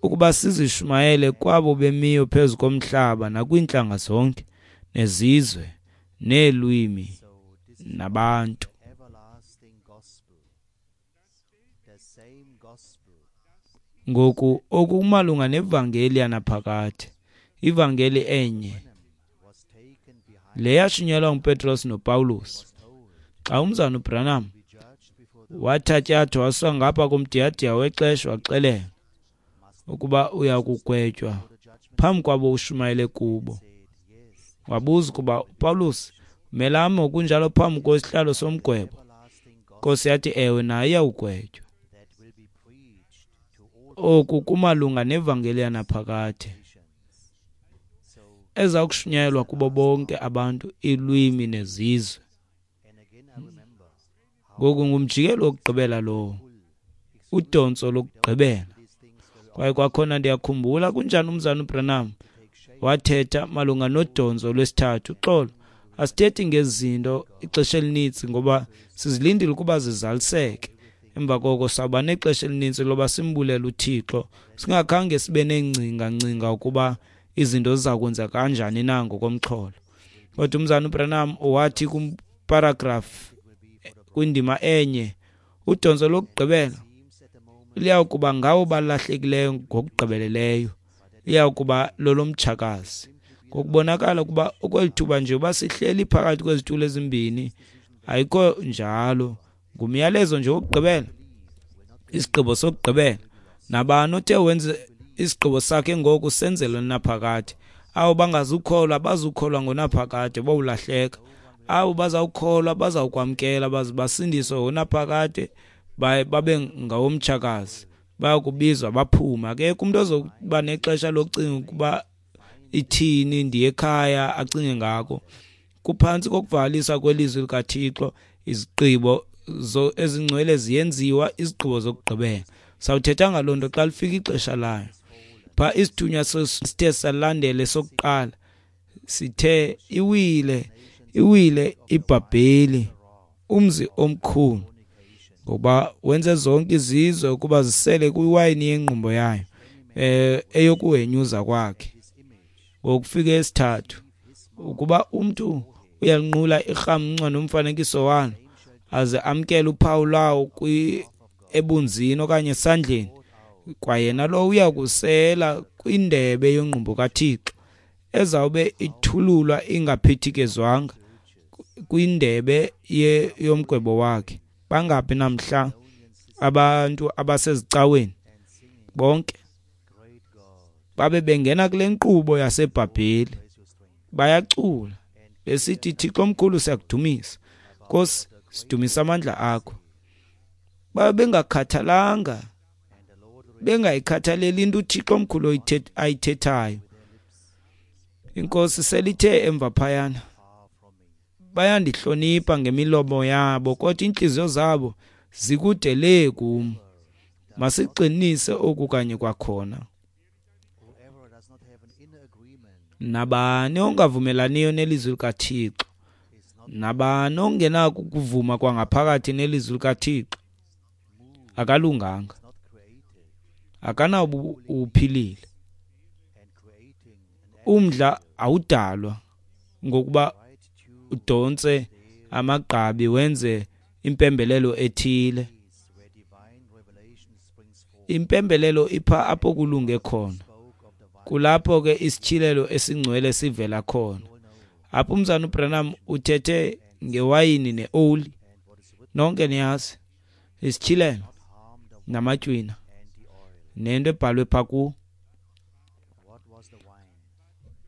ukuba sizishumayele kwabo bemiyo phezu komhlaba nakwiintlanga zonke nezizwe neelwimi nabantu. Ngoku oku kumalunga nevangeli yanaphakade, ivangeli enye le yashunyelwa nguPetros noPawulos. Xa umzana uBranham wathatyathwa wasuka ngapha komdiyadiya wexesha, waxelela ukuba uya kugwetywa phambi kwabo ushumayele kubo. Wabuza ukuba uPawulos umelame ngokunjalo phambi kwesihlalo somgwebo. Nkosi yathi ewe, naye iyawugwetywa. Oku kumalunga nevangeli yanaphakade eza kushunyayelwa kubo bonke abantu, iilwimi nezizwe. Ngoku ngumjikelo wokugqibela lowo, udontso lokugqibela. Kwaye kwakhona ndiyakhumbula kunjani umzana uBranham wathetha malunga nodontso lwesithathu. Uxolo, asithethi ngezinto ixesha elininzi ngoba sizilindile ukuba zizaliseke. Emva koko sawuba nexesha elininzi loba simbulele uThixo, singakhange sibe neengcinga ngcinga ukuba izinto ziza kwenza kanjani na ngokomxholo. Kodwa umzana uBranham wathi kumparagraph kwindima enye, udontso lokugqibela liya kuba ngawo balahlekileyo ngokugqibeleleyo, liya kuba lolomtshakazi. Ngokubonakala ukuba okweli thuba nje uba sihleli phakathi kwezitulo ezimbini, ayikho njalo. Ngumyalezo nje wokugqibela, isigqibo sokugqibela. Nabani othe wenze isigqibo sakhe ngoku senzele naphakade. Abo bangazukholwa bazukholwa ngonaphakade, bowulahleka. Abo bazawukholwa bazawukwamkela baze basindiswe ngonaphakade, babe ngawomtshakazi, bayakubizwa baphume. Akekho umuntu ozokuba nexesha lokucinga ukuba ithini, ndiye ekhaya, acinge ngako. Kuphantsi kokuvaliswa kwelizwi likaThixo, izigqibo ezingcwele ziyenziwa, izigqibo zokugqibela. Sawuthetha ngaloo nto xa lifika ixesha layo. Pha isithunywa sithe salandela esokuqala, sithe iwile, iwile iBhabheli, umzi omkhulu, ngoba wenze zonke izizwe ukuba zisele kwiwayini yengqumbo yayo, eh eyokuhenyuza kwakhe. Ngokufika esithathu, ukuba umntu uyalinqula irhamncwa nomfanekiso walo, aze amkele uphawu lwawo kwi ebunzini okanye esandleni, kwayena lo uya kusela kwindebe yengqumbo kaThixo ezawube ithululwa ingaphithikezwanga kwindebe yomgwebo wakhe. Bangaphi namhla abantu abasezicaweni bonke babe bengena kule nkqubo yaseBhabheli, bayacula besithi, Thixo omkhulu, siyakudumisa, Nkosi, sidumisa amandla akho. Babe bengakhathalanga, bengayikhathaleli into uThixo omkhulu ayithethayo. Inkosi selithe emva phayana, bayandihlonipha ngemilomo yabo, kodwa iintliziyo zabo zikude lee kum. Masiqinise oku kanye kwakhona. Nabani ongavumelaniyo nelizwi likaThixo, nabani ongenako ukuvuma kwangaphakathi nelizwi likaThixo, akalunganga, akanawube uphilile. Umdla awudalwa ngokuba udontse amagqabi wenze impembelelo ethile. Impembelelo ipha apho kulunge khona, kulapho ke isityhilelo esingcwele sivela khona. Apho umzana uBranham uthethe ngewayini neoli, nonke niyazi, isityhilelo namatywina nento ebhalwe pha kuwo.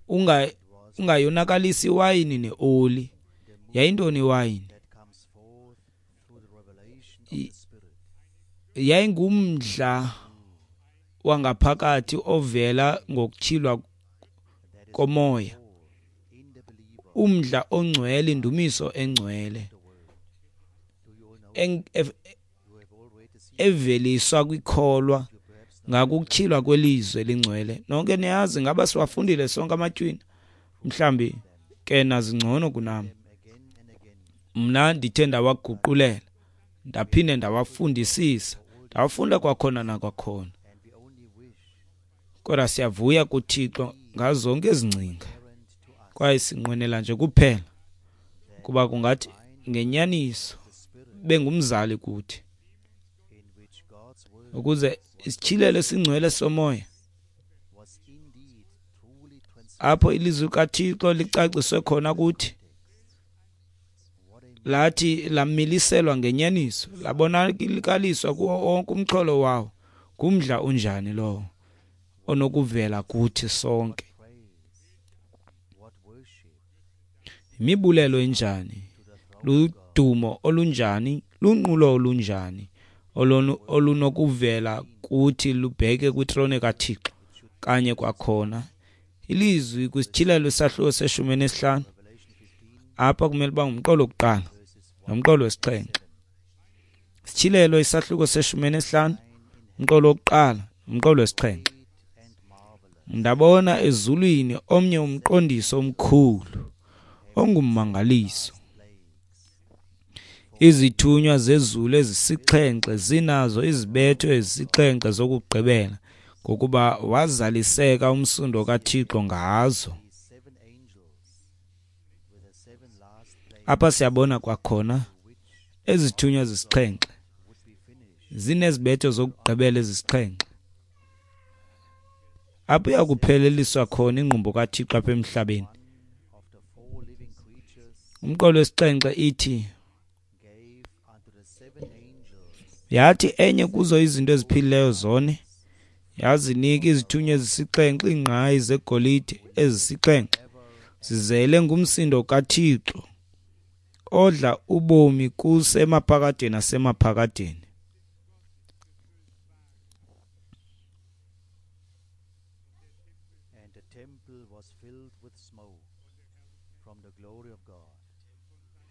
Unga ungayonakalisi iwayini neoli. Yayintoni iwayini? Yayingumdla wangaphakathi ovela ngokutyhilwa komoya, umdla ongcwele, indumiso engcwele eveliswa kwikholwa ngakukutyhilwa kwelizwi elingcwele. Nonke niyazi, ngaba siwafundile sonke amatywina? Mhlambi ke nazingcono kunam. Mna ndithe ndawaguqulela, ndaphinde ndawafundisisa, ndawafunda kwakhona nakwakhona. Kodwa siyavuya kuThixo ngazo zonke ezi ngcinga, kwaye sinqwenela nje kuphela kuba kungathi ngenyaniso bengumzali kuthi, ukuze isityhilelo esingcwele somoya, apho ilizwi kaThixo licaciswe khona kuthi, lathi lamiliselwa ngenyaniso, labonakaliswa kuwo wonke umxholo wawo. Ngumdla unjani lowo onokuvela kuthi sonke? Imibulelo enjani, ludumo olunjani, lunqulo olunjani olunokuvela kuthi lubheke kwitrone kaThixo. Kanye kwakhona ilizwi kwisityhilelo isahluko seshumi nesihlanu, apha kumele uba ngumqolo wokuqala nomqolo wesixhenxe. Isityhilelo isahluko seshumi nesihlanu, umqolo wokuqala nomqolo wesixhenxe. Ndabona ezulwini omnye umqondiso omkhulu ongummangaliso, izithunywa zezulu ezisixhenxe zinazo izibetho ezisixhenxe zokugqibela, ngokuba wazaliseka umsindo kaThixo ngazo. Apha siyabona kwakhona ezithunywa zisixhenxe zinezibetho zokugqibela ezisixhenxe, apho iyakupheleliswa khona ingqumbo kaThixo apha emhlabeni. Umqolo wesixhenxe ithi, yathi enye kuzo izinto eziphilileyo zone yazinika izithunywa ezisixhenxe iingqayi zegolide ezisixhenxe zizele ngumsindo kaThixo odla ubomi kuse emaphakadeni nasemaphakadeni. And the temple was filled with smoke from the glory of God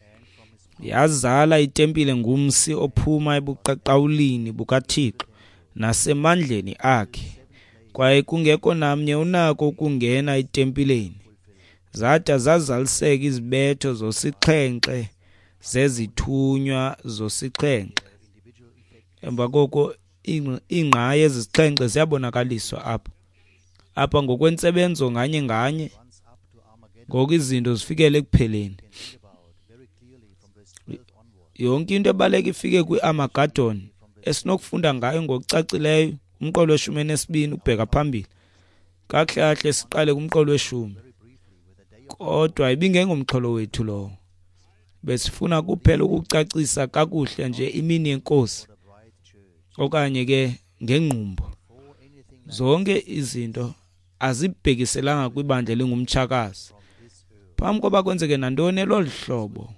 and from his power. Yazala itempile ngumsi ophuma ebuqaqawulini bukaThixo nasemandleni akhe, kwaye kungekho namnye unako ukungena etempileni. Zada zazaliseka izibetho zosixhenxe zezithunywa zosixhenxe. Emva koko iingqayi ezisixhenxe ziyabonakaliswa apha apha ngokwentsebenzo nganye nganye, ngoku izinto zifikele ekupheleni. Yonke into ebaleka ifike kwi-Armageddon esinokufunda ngayo ngokucacileyo umqolo weshumi nesibini ukubheka phambili. Kakuhle kahle siqale kumqolo weshumi, kodwa ibingengomxholo wethu lowo. Besifuna kuphela ukucacisa kakuhle nje imini yenkosi, okanye ke ngengqumbo. Zonke izinto azibhekiselanga kwibandla elingumtshakazi. Phambi koba kwenzeke nantoni elolu hlobo,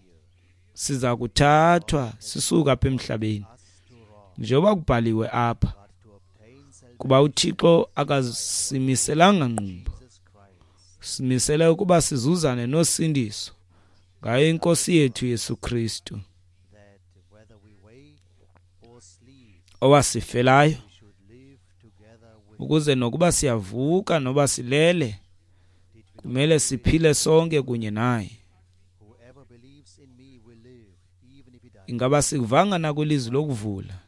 siza kuthathwa sisuka apha emhlabeni, njengoba kubhaliwe apha, kuba uThixo akasimiselanga ngqumbo, simisele ukuba sizuzane nosindiso ngayo inkosi yethu Yesu Kristu, owasifelayo ukuze nokuba siyavuka noba silele, kumele siphile sonke kunye naye. Ingaba sikuvanga na kwilizwi lokuvula?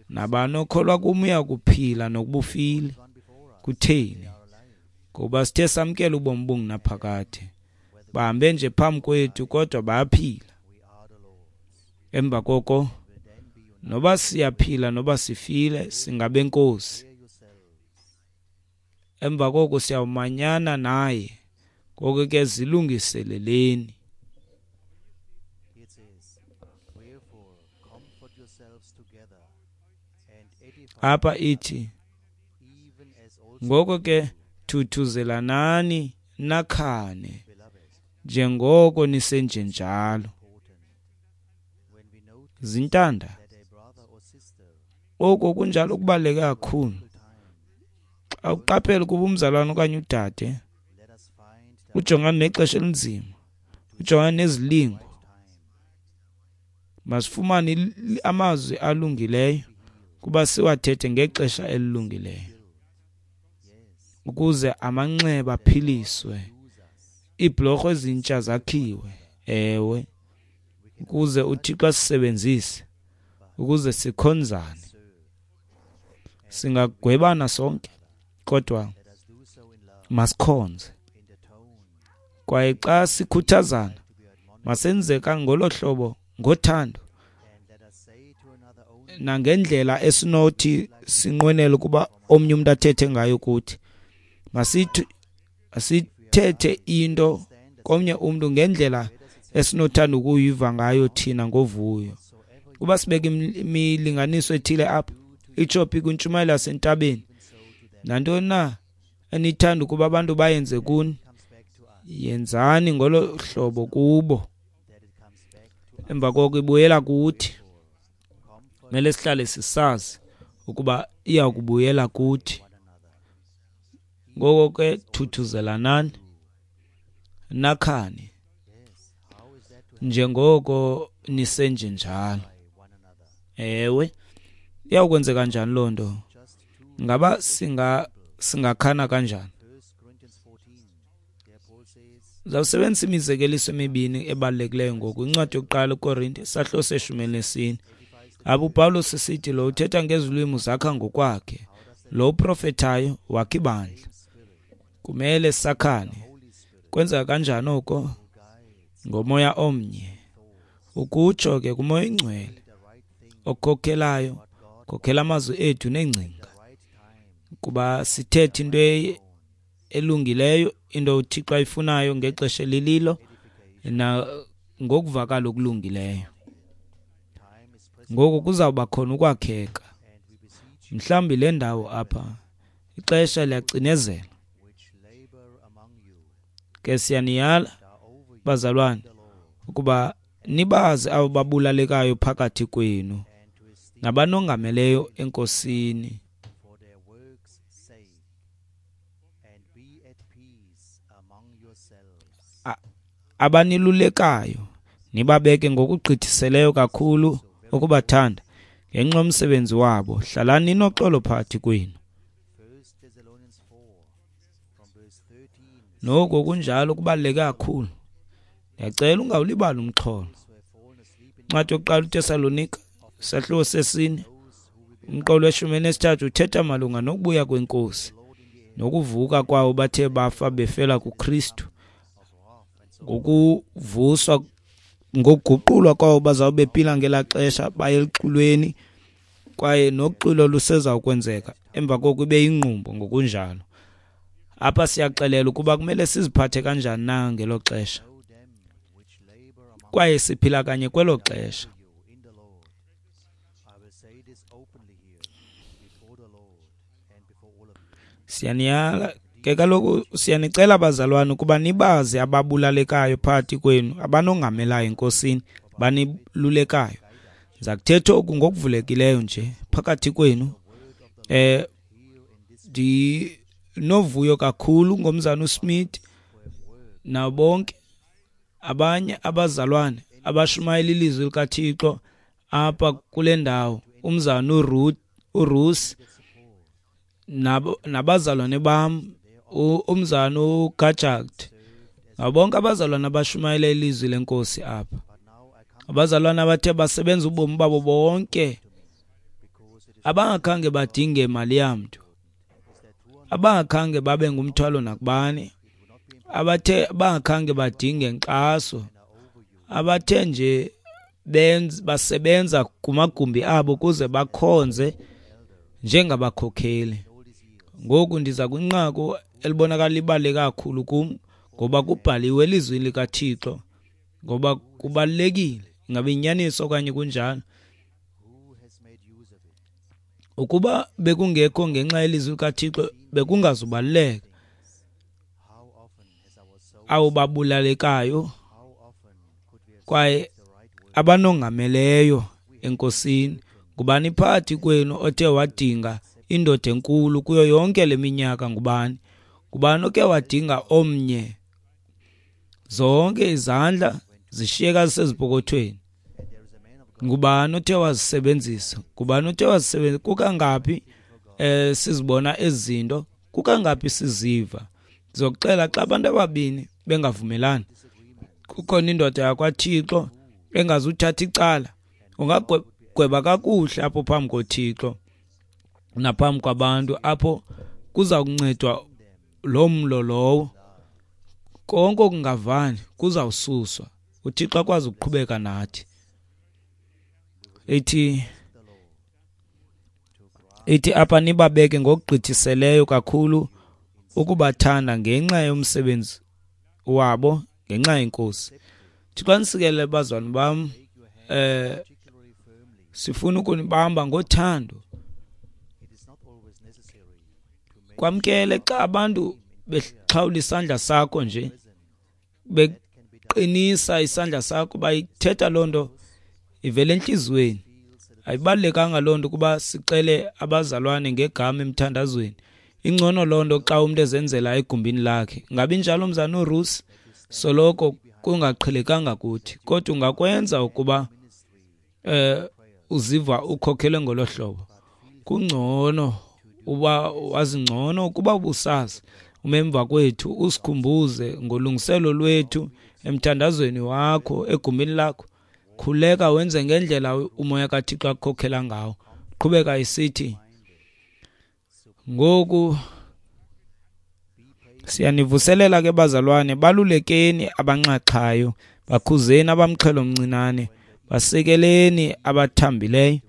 Nabani okholwa kum uya kuphila nokuba ufile. Kutheni? Ngoba sithe samkela ubomi obungunaphakade. Bahambe nje phambi kwethu kodwa bayaphila. Emva koko, noba siyaphila noba sifile, singabenkosi. Emva koko siyawumanyana naye. Ngoko ke zilungiseleleni. It says, Wherefore comfort yourselves together and edify Apha ithi, even as also ngoko ke Thuthuzelanani nakhane njengoko nisenjenjalo. Zintanda, oko kunjalo kubaluleke kakhulu. Xa uqaphela ukuba umzalwane okanye udade ujongana nexesha elinzima, ujongana nezilingo, masifumane amazwi alungileyo kuba siwathethe ngexesha elilungileyo, ukuze amanxeba aphiliswe, iibhlorho ezintsha zakhiwe. Ewe, ukuze uThixo asisebenzise ukuze sikhonzane. Singagwebana sonke, kodwa masikhonze. Kwaye xa sikhuthazana, masenzeka ngolo hlobo ngothando nangendlela esinothi sinqwenele ukuba omnye umntu athethe ngayo kuthi. Masithi asithethe into komnye umntu ngendlela esinothanda ukuyiva ngayo thina ngovuyo. Kuba sibeke imilinganiso ethile apha, itsho phi kwintshumayelo yasentabeni, nantoni na enithanda ukuba abantu bayenze kuni, yenzani ngolo hlobo kubo. Emva koko ibuyela kuthi. Kumele sihlale sisazi ukuba iya kubuyela kuthi. Ngoko ke thuthuzelanani nakhane njengoko nisenjenjalo. Ewe, iyawukwenzeka kanjani loo nto? Ngaba singa singakhana kanjani? Zawusebenzisa imizekeliso emibini ebalulekileyo ngoku. Incwadi yokuqala uKorinte, isahluko seshumi elinesine. Apho uPawulos esithi lo uthetha ngezilwimi zakha ngokwakhe, lo uprofethayo wakha ibandla. Kumele sakhane. Kwenzeka kanjani oko? Ngomoya omnye. Ukutsho ke kuMoya oyiNgcwele okhokhelayo, khokhela amazwi ethu neengcinga, kuba sithethe into elungileyo, into uThixo ayifunayo ngexesha elililo na ngokuvakala okulungileyo. Ngoku kuzawuba khona ukwakheka. Mhlawumbi le ndawo apha ixesha liyacinezela. Ke siyaniyala bazalwane ukuba nibazi abo babulalekayo phakathi kwenu nabanongameleyo eNkosini. Abanilulekayo nibabeke ngokugqithiseleyo kakhulu ukubathanda ngenxa yomsebenzi wabo. Hlalani ninoxolo phakathi kwenu. Noko kunjalo kubaluleke kakhulu. Ndiyacela ungawulibali umxholo. Incwadi yokuqala uTesalonika, isahluko sesine, umqolo weshumi elinesithathu uthetha malunga nokubuya kweNkosi nokuvuka kwawo bathe bafa befela kuKristu, ngokuvuswa, ngokuguqulwa kwawo bazawube bephila ngelaa xesha baye eluxwilweni, kwaye noxwilo lusezawukwenzeka emva koko ibe yingqumbo ngokunjalo. Apha siyaxelelwa ukuba kumele siziphathe kanjani na ngelo xesha, kwaye siphila kanye kwelo xesha. Siyaniyala ke kaloku, siyanicela bazalwane ukuba nibazi ababulalekayo phakathi kwenu, abanongamelayo eNkosini, banilulekayo. Ndiza kuthetha oku ngokuvulekileyo nje phakathi kwenu. Eh ndinovuyo kakhulu ngomzana uSmith nabo bonke abanye abazalwane abashumayela ilizwi likaThixo apha kule ndawo, umzana uRuth uRuth nabo nabazalwane bam, umzana uGajakt, nabo bonke abazalwane abashumayela ilizwi leNkosi apha. Abazalwane abathe basebenza ubomi babo bonke, abangakhange badinge mali yamntu, abangakhange babe ngumthwalo nakubani, abathe bangakhange badinge nkxaso, abathe nje benza basebenza kumagumbi abo ukuze bakhonze njengabakhokheli. Ngoku ndiza kwinqaku elibonakala libaluleke kakhulu kum, ngoba kubhaliwe elizwini likaThixo, ngoba kubalulekile ingabe inyaniso okanye kunjalo. Ukuba bekungekho ngenxa yelizwi likaThixo bekungazubaluleka. abo babulalekayo kwaye abanongameleyo enkosini. Ngubani phakathi kwenu othe wadinga indoda enkulu kuyo yonke le minyaka? Ngubani? Ngubani oke wadinga omnye? Zonke izandla zishiyeka zisezipokothweni. Ngubani othe wazisebenzisa? Ngubani othe wazisebenzisa? Kukangaphi eh sizibona ezinto? Kukangaphi siziva? Ndizokuxela xa abantu ababini bengavumelani, kukhona indoda yakwaThixo engazuthatha icala. Ungagweba kakuhle apho phambi koThixo naphambi kwabantu, apho kuza kuncedwa lo mlo lowo. Konke okungavani kuzawususwa, uThixo akwazi ukuqhubeka nathi. Ithi ithi apha nibabeke ngokugqithiseleyo kakhulu ukubathanda ngenxa yomsebenzi wabo, ngenxa yeNkosi. Thixo anisikelele bazalwane bam. Eh sifuna ukunibamba ngothando. Kwamkele xa abantu bexhawula isandla sakho nje, beqinisa isandla sakho, bayithetha loo nto ivele entliziyweni. Ayibalulekanga loo nto kuba sicele abazalwane ngegama emthandazweni. Ingcono loo nto xa umntu ezenzela egumbini lakhe. Ngabi njalo mzana uRusi, soloko kungaqhelekanga kuthi, kodwa ungakwenza ukuba eh uziva ukhokhelwe ngolo hlobo. Kungcono uba wazi ngcono ukuba ubusazi umemva kwethu, usikhumbuze ngolungiselo lwethu emthandazweni wakho egumbini lakho. Khuleka wenze ngendlela umoya kaThixo akukhokhela ngawo. Qhubeka isithi ngoku siyanivuselela ke bazalwane, balulekeni abanxaxhayo, bakhuzeni abamxhelo mncinane, basekeleni abathambileyo,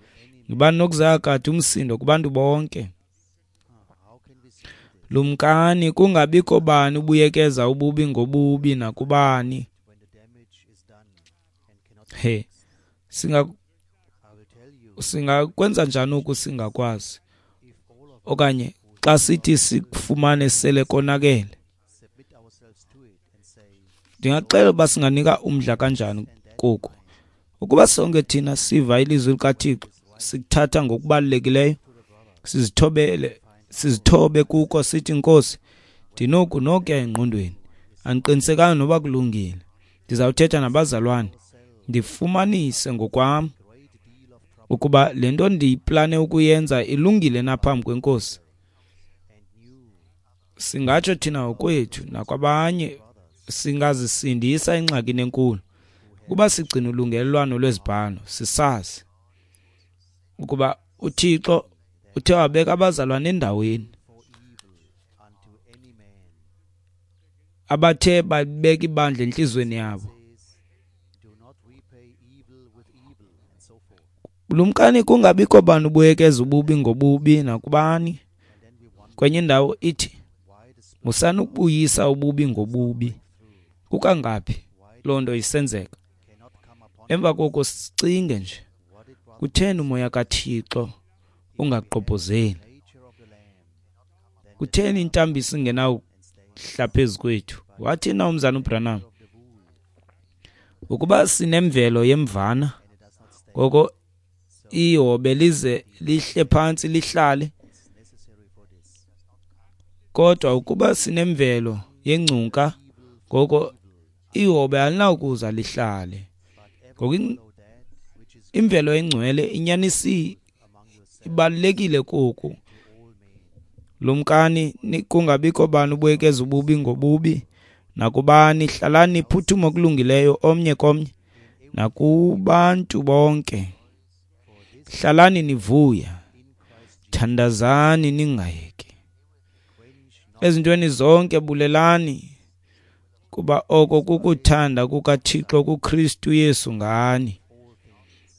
ngibani nokuzakade umsindo kubantu bonke. Lumkani kungabikho bani ubuyekeza ububi ngobubi nakubani. He, singa singakwenza njani oku singakwazi? Okanye xa sithi sikufumane sele konakele, ndingaxela uba singanika umdla kanjani koku. Ukuba sonke thina siva ilizwi likaThixo, sikuthatha ngokubalulekileyo, sizithobele, sizithobe kuko, sithi Nkosi, ndinoku nokuya engqondweni, andiqinisekanga noba kulungile, ndizawuthetha nabazalwane, ndifumanise ngokwam ukuba le nto ndiyiplane ukuyenza ilungile na phambi kweNkosi. Singatsho thina ngokwethu nakwabanye, singazisindisa engxakini enkulu ukuba sigcina ulungelelwano lwezibhalo, sisazi ukuba uThixo uthe wabeka abazalwane endaweni abathe babeka ibandla entliziyweni yabo. Lumkani kungabikho bani ubuyekeza ububi ngobubi nakubani. Kwenye indawo ithi musani ukubuyisa ububi ngobubi. Kukangaphi loo nto isenzeka? Emva koko sicinge nje, kutheni umoya kaThixo ungagqobhozeli? Kutheni intambiso ingenawuhla phezu kwethu? Wathi na umzana uBranham, ukuba sinemvelo yemvana, ngoko ihobe lize lihle phantsi lihlale. Kodwa ukuba sinemvelo yengcunka, ngoko ihobe alinawukuza lihlale. Ngoku imvelo engcwele inyanisi ibalulekile koku. Lumkani kungabikho bani ubuyekeza ububi ngobubi nakubani, hlalani niphuthuma okulungileyo omnye komnye nakubantu bonke. Hlalani nivuya, thandazani ningayeki. Ezintweni zonke bulelani, kuba oko kukuthanda kukaThixo kuKristu Yesu ngani.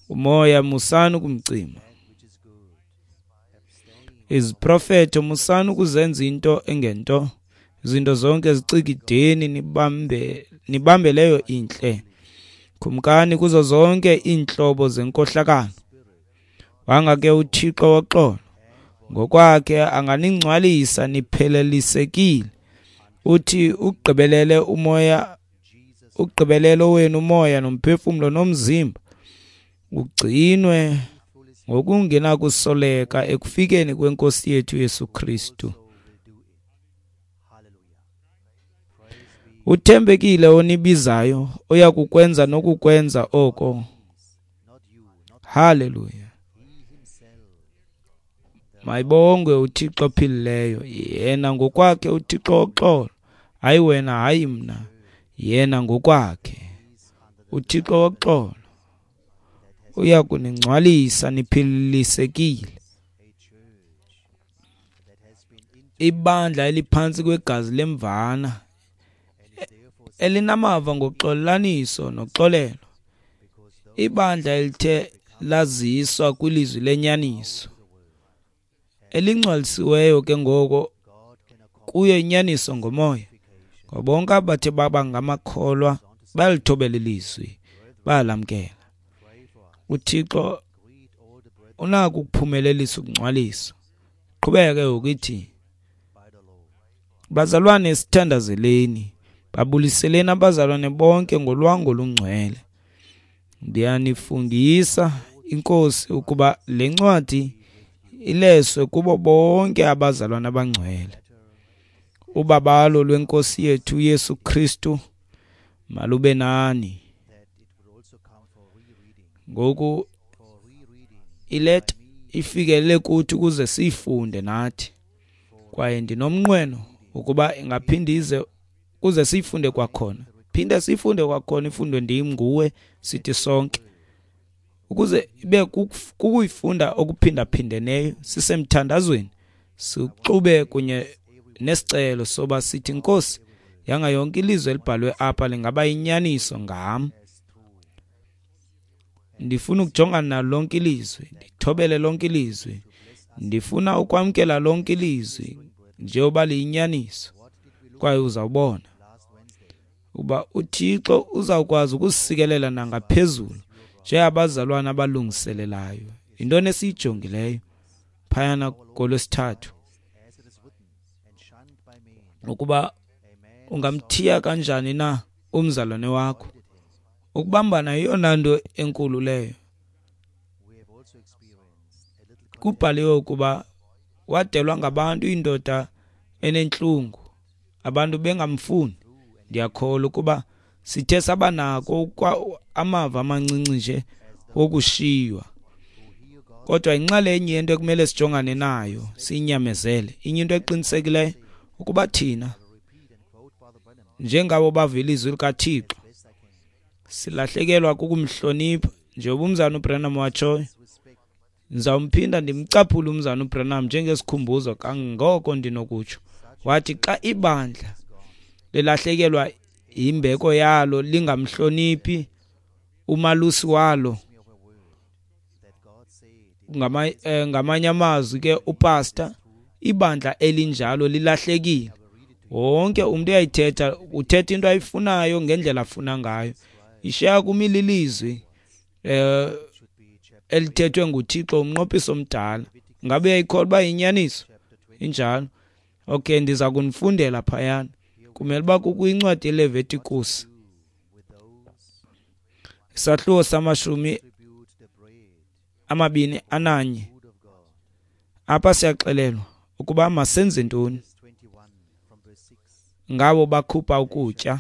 Umoya musani ukumcima. Iziprofeto musani ukuzenza into engento. Izinto zonke zicikideni, nibambe nibambe leyo intle. Khumkani kuzo zonke iintlobo zenkohlakalo. Wanga ke uThixo woxolo ngokwakhe anganingcwalisa niphelelisekile Uthi ugqibelele umoya, ugqibelele wenu umoya nomphefumlo nomzimba ugcinwe ngokungenakusoleka ekufikeni kweNkosi yethu Yesu Kristu. Uthembekile onibizayo, oya kukwenza nokukwenza oko. Haleluya. Mayibongwe uThixo ophilileyo, yena ngokwakhe uThixo woxolo, hayi wena, hayi mna, yena ngokwakhe uThixo woxolo uya kuningcwalisa niphilisekile. Ibandla eliphantsi kwegazi lemvana elinamava ngoxolaniso noxolelo, ibandla elithe laziswa kwilizwi lenyaniso, elingcwalisiweyo ke ngoko kuyo inyaniso ngomoya. Ngoba bonke abathe baba ngamakholwa bayalithobela ilizwi, bayalamkela. UThixo unako ukuphumelelisa ukungcwaliswa. Qhubeke ngokuthi, bazalwane, sithandazeleni, babuliseleni abazalwane bonke ngolwango olungcwele. Ndiyanifungisa iNkosi ukuba le ncwadi ileswe kubo bonke abazalwane abangcwele. Ubabalo lweNkosi yethu Yesu Kristu malube nani. Ngoku ileta ifikelele kuthi ukuze siyifunde nathi, kwaye ndinomnqweno ukuba ingaphinde ize ukuze siyifunde kwakhona. Phinde siyifunde kwakhona, ifundwe ndim, nguwe, sithi sonke, ukuze ibe kukuyifunda okuphindaphindeneyo sisemthandazweni, sixube kunye nesicelo soba sithi, Nkosi, yanga yonke ilizwi elibhalwe apha lingaba yinyaniso ngam. Ndifuna ukujongana nalo lonke ilizwi, ndithobele lonke ilizwi, ndifuna ukwamkela lonke ilizwi njengoba liyinyaniso. Kwaye uzawubona uba uThixo uzawukwazi ukusikelela nangaphezulu njengabazalwana abalungiselelayo. Yintoni esiyijongileyo phayana kolwesithathu? Ukuba ungamthiya kanjani na umzalwane wakho? Ukubambana yeyona nto enkulu leyo. Kubhaliwe ukuba wadelwa ngabantu indoda enentlungu, abantu bengamfuni. Ndiyakholwa ukuba sithe saba nako amava amancinci nje wokushiywa, kodwa inxalenye yento ekumele sijongane nayo siyinyamezele. Inye into eqinisekileyo ukuba thina njengabo bava ilizwi likaThixo silahlekelwa kukumhlonipha. Njengoba umzana uBranham watshoyo, ndizawumphinda ndimcaphule umzana uBranham njengesikhumbuzo kangoko ndinokutsho. Wathi xa ibandla lilahlekelwa imbeko yalo lingamhloniphi umalusi walo, ngamanye amazwi ke upastor, ibandla elinjalo lilahlekile. Wonke umuntu uyayithetha, uthetha into ayifunayo ngendlela afuna ngayo. Ishiya kumila ilizwi eh elithethwe nguThixo umnqophiso omdala. Ngabe uyayikholwa uba yinyaniso? Injalo. Okay, ndiza kunifundela phayana. Kumele uba kukwincwadi yeLevitikus, isahluko samashumi amabini ananye. Apha siyaxelelwa ukuba masenze ntoni ngabo bakhupha ukutya,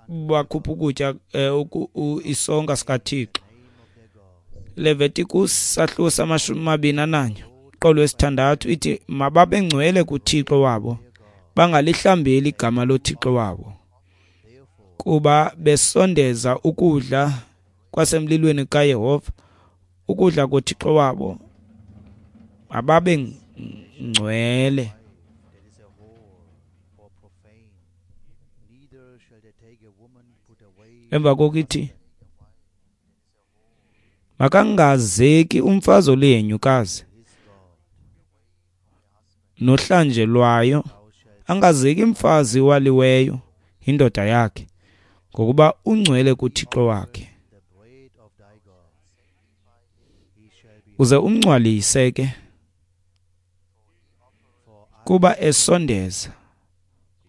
bakhupha ukutya isonka sikaThixo. Leviticus sahluko samashumi amabini ananye qolo wesithandathu ithi mababe ngcwele kuThixo wabo, bangalihlambeli igama loThixo wabo, kuba besondeza ukudla kwasemlilweni kaYehova, ukudla koThixo wabo, mababe ngcwele. Emva kokuthi makangazeki umfazi olihenyukazi nohlanjelwayo, angazeki umfazi waliweyo indoda yakhe, ngokuba ungcwele kuThixo wakhe. Uze umngcwalise ke, kuba esondeza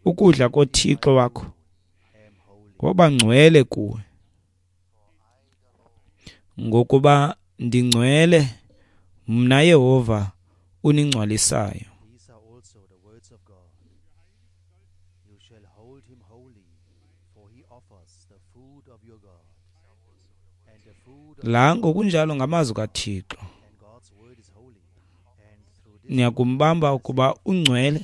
Ukudla koThixo wakho am holy. woba ngcwele kuwe. Ngokuba ndingcwele mna Yehova uningcwalisayo. These are also the words of God. You shall hold him holy, for he offers the food of your God. And the food of La ngokunjalo ngamazwi kaThixo. and God's word is holy. And through this Niyakumbamba ukuba ungcwele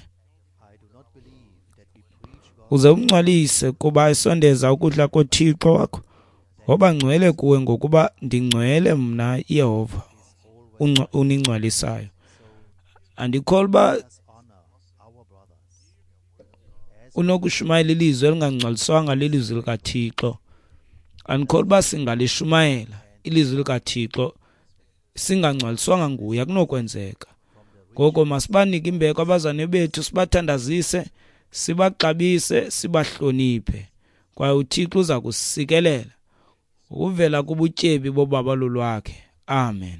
I do not believe that we preach God uze umngcwalise kuba esondeza ukudla koThixo wakho. Woba ngcwele kuwe ngokuba ndingcwele mna Yehova is always ungcwa- uningcwalisayo. Andikholwa uba let us honor our brothers. As unokushumayela ilizwi elingangcwaliswanga lilizwi likaThixo. Andikholwa uba singalishumayela ilizwi likaThixo singangcwaliswanga nguye, akunokwenzeka. Ngoko masibanike imbeko abazalwane bethu, sibathandazise, sibaxabise, sibahloniphe. Kwaye uThixo uza kusikelela ukuvela kubutyebi bobabalo lwakhe. Amen.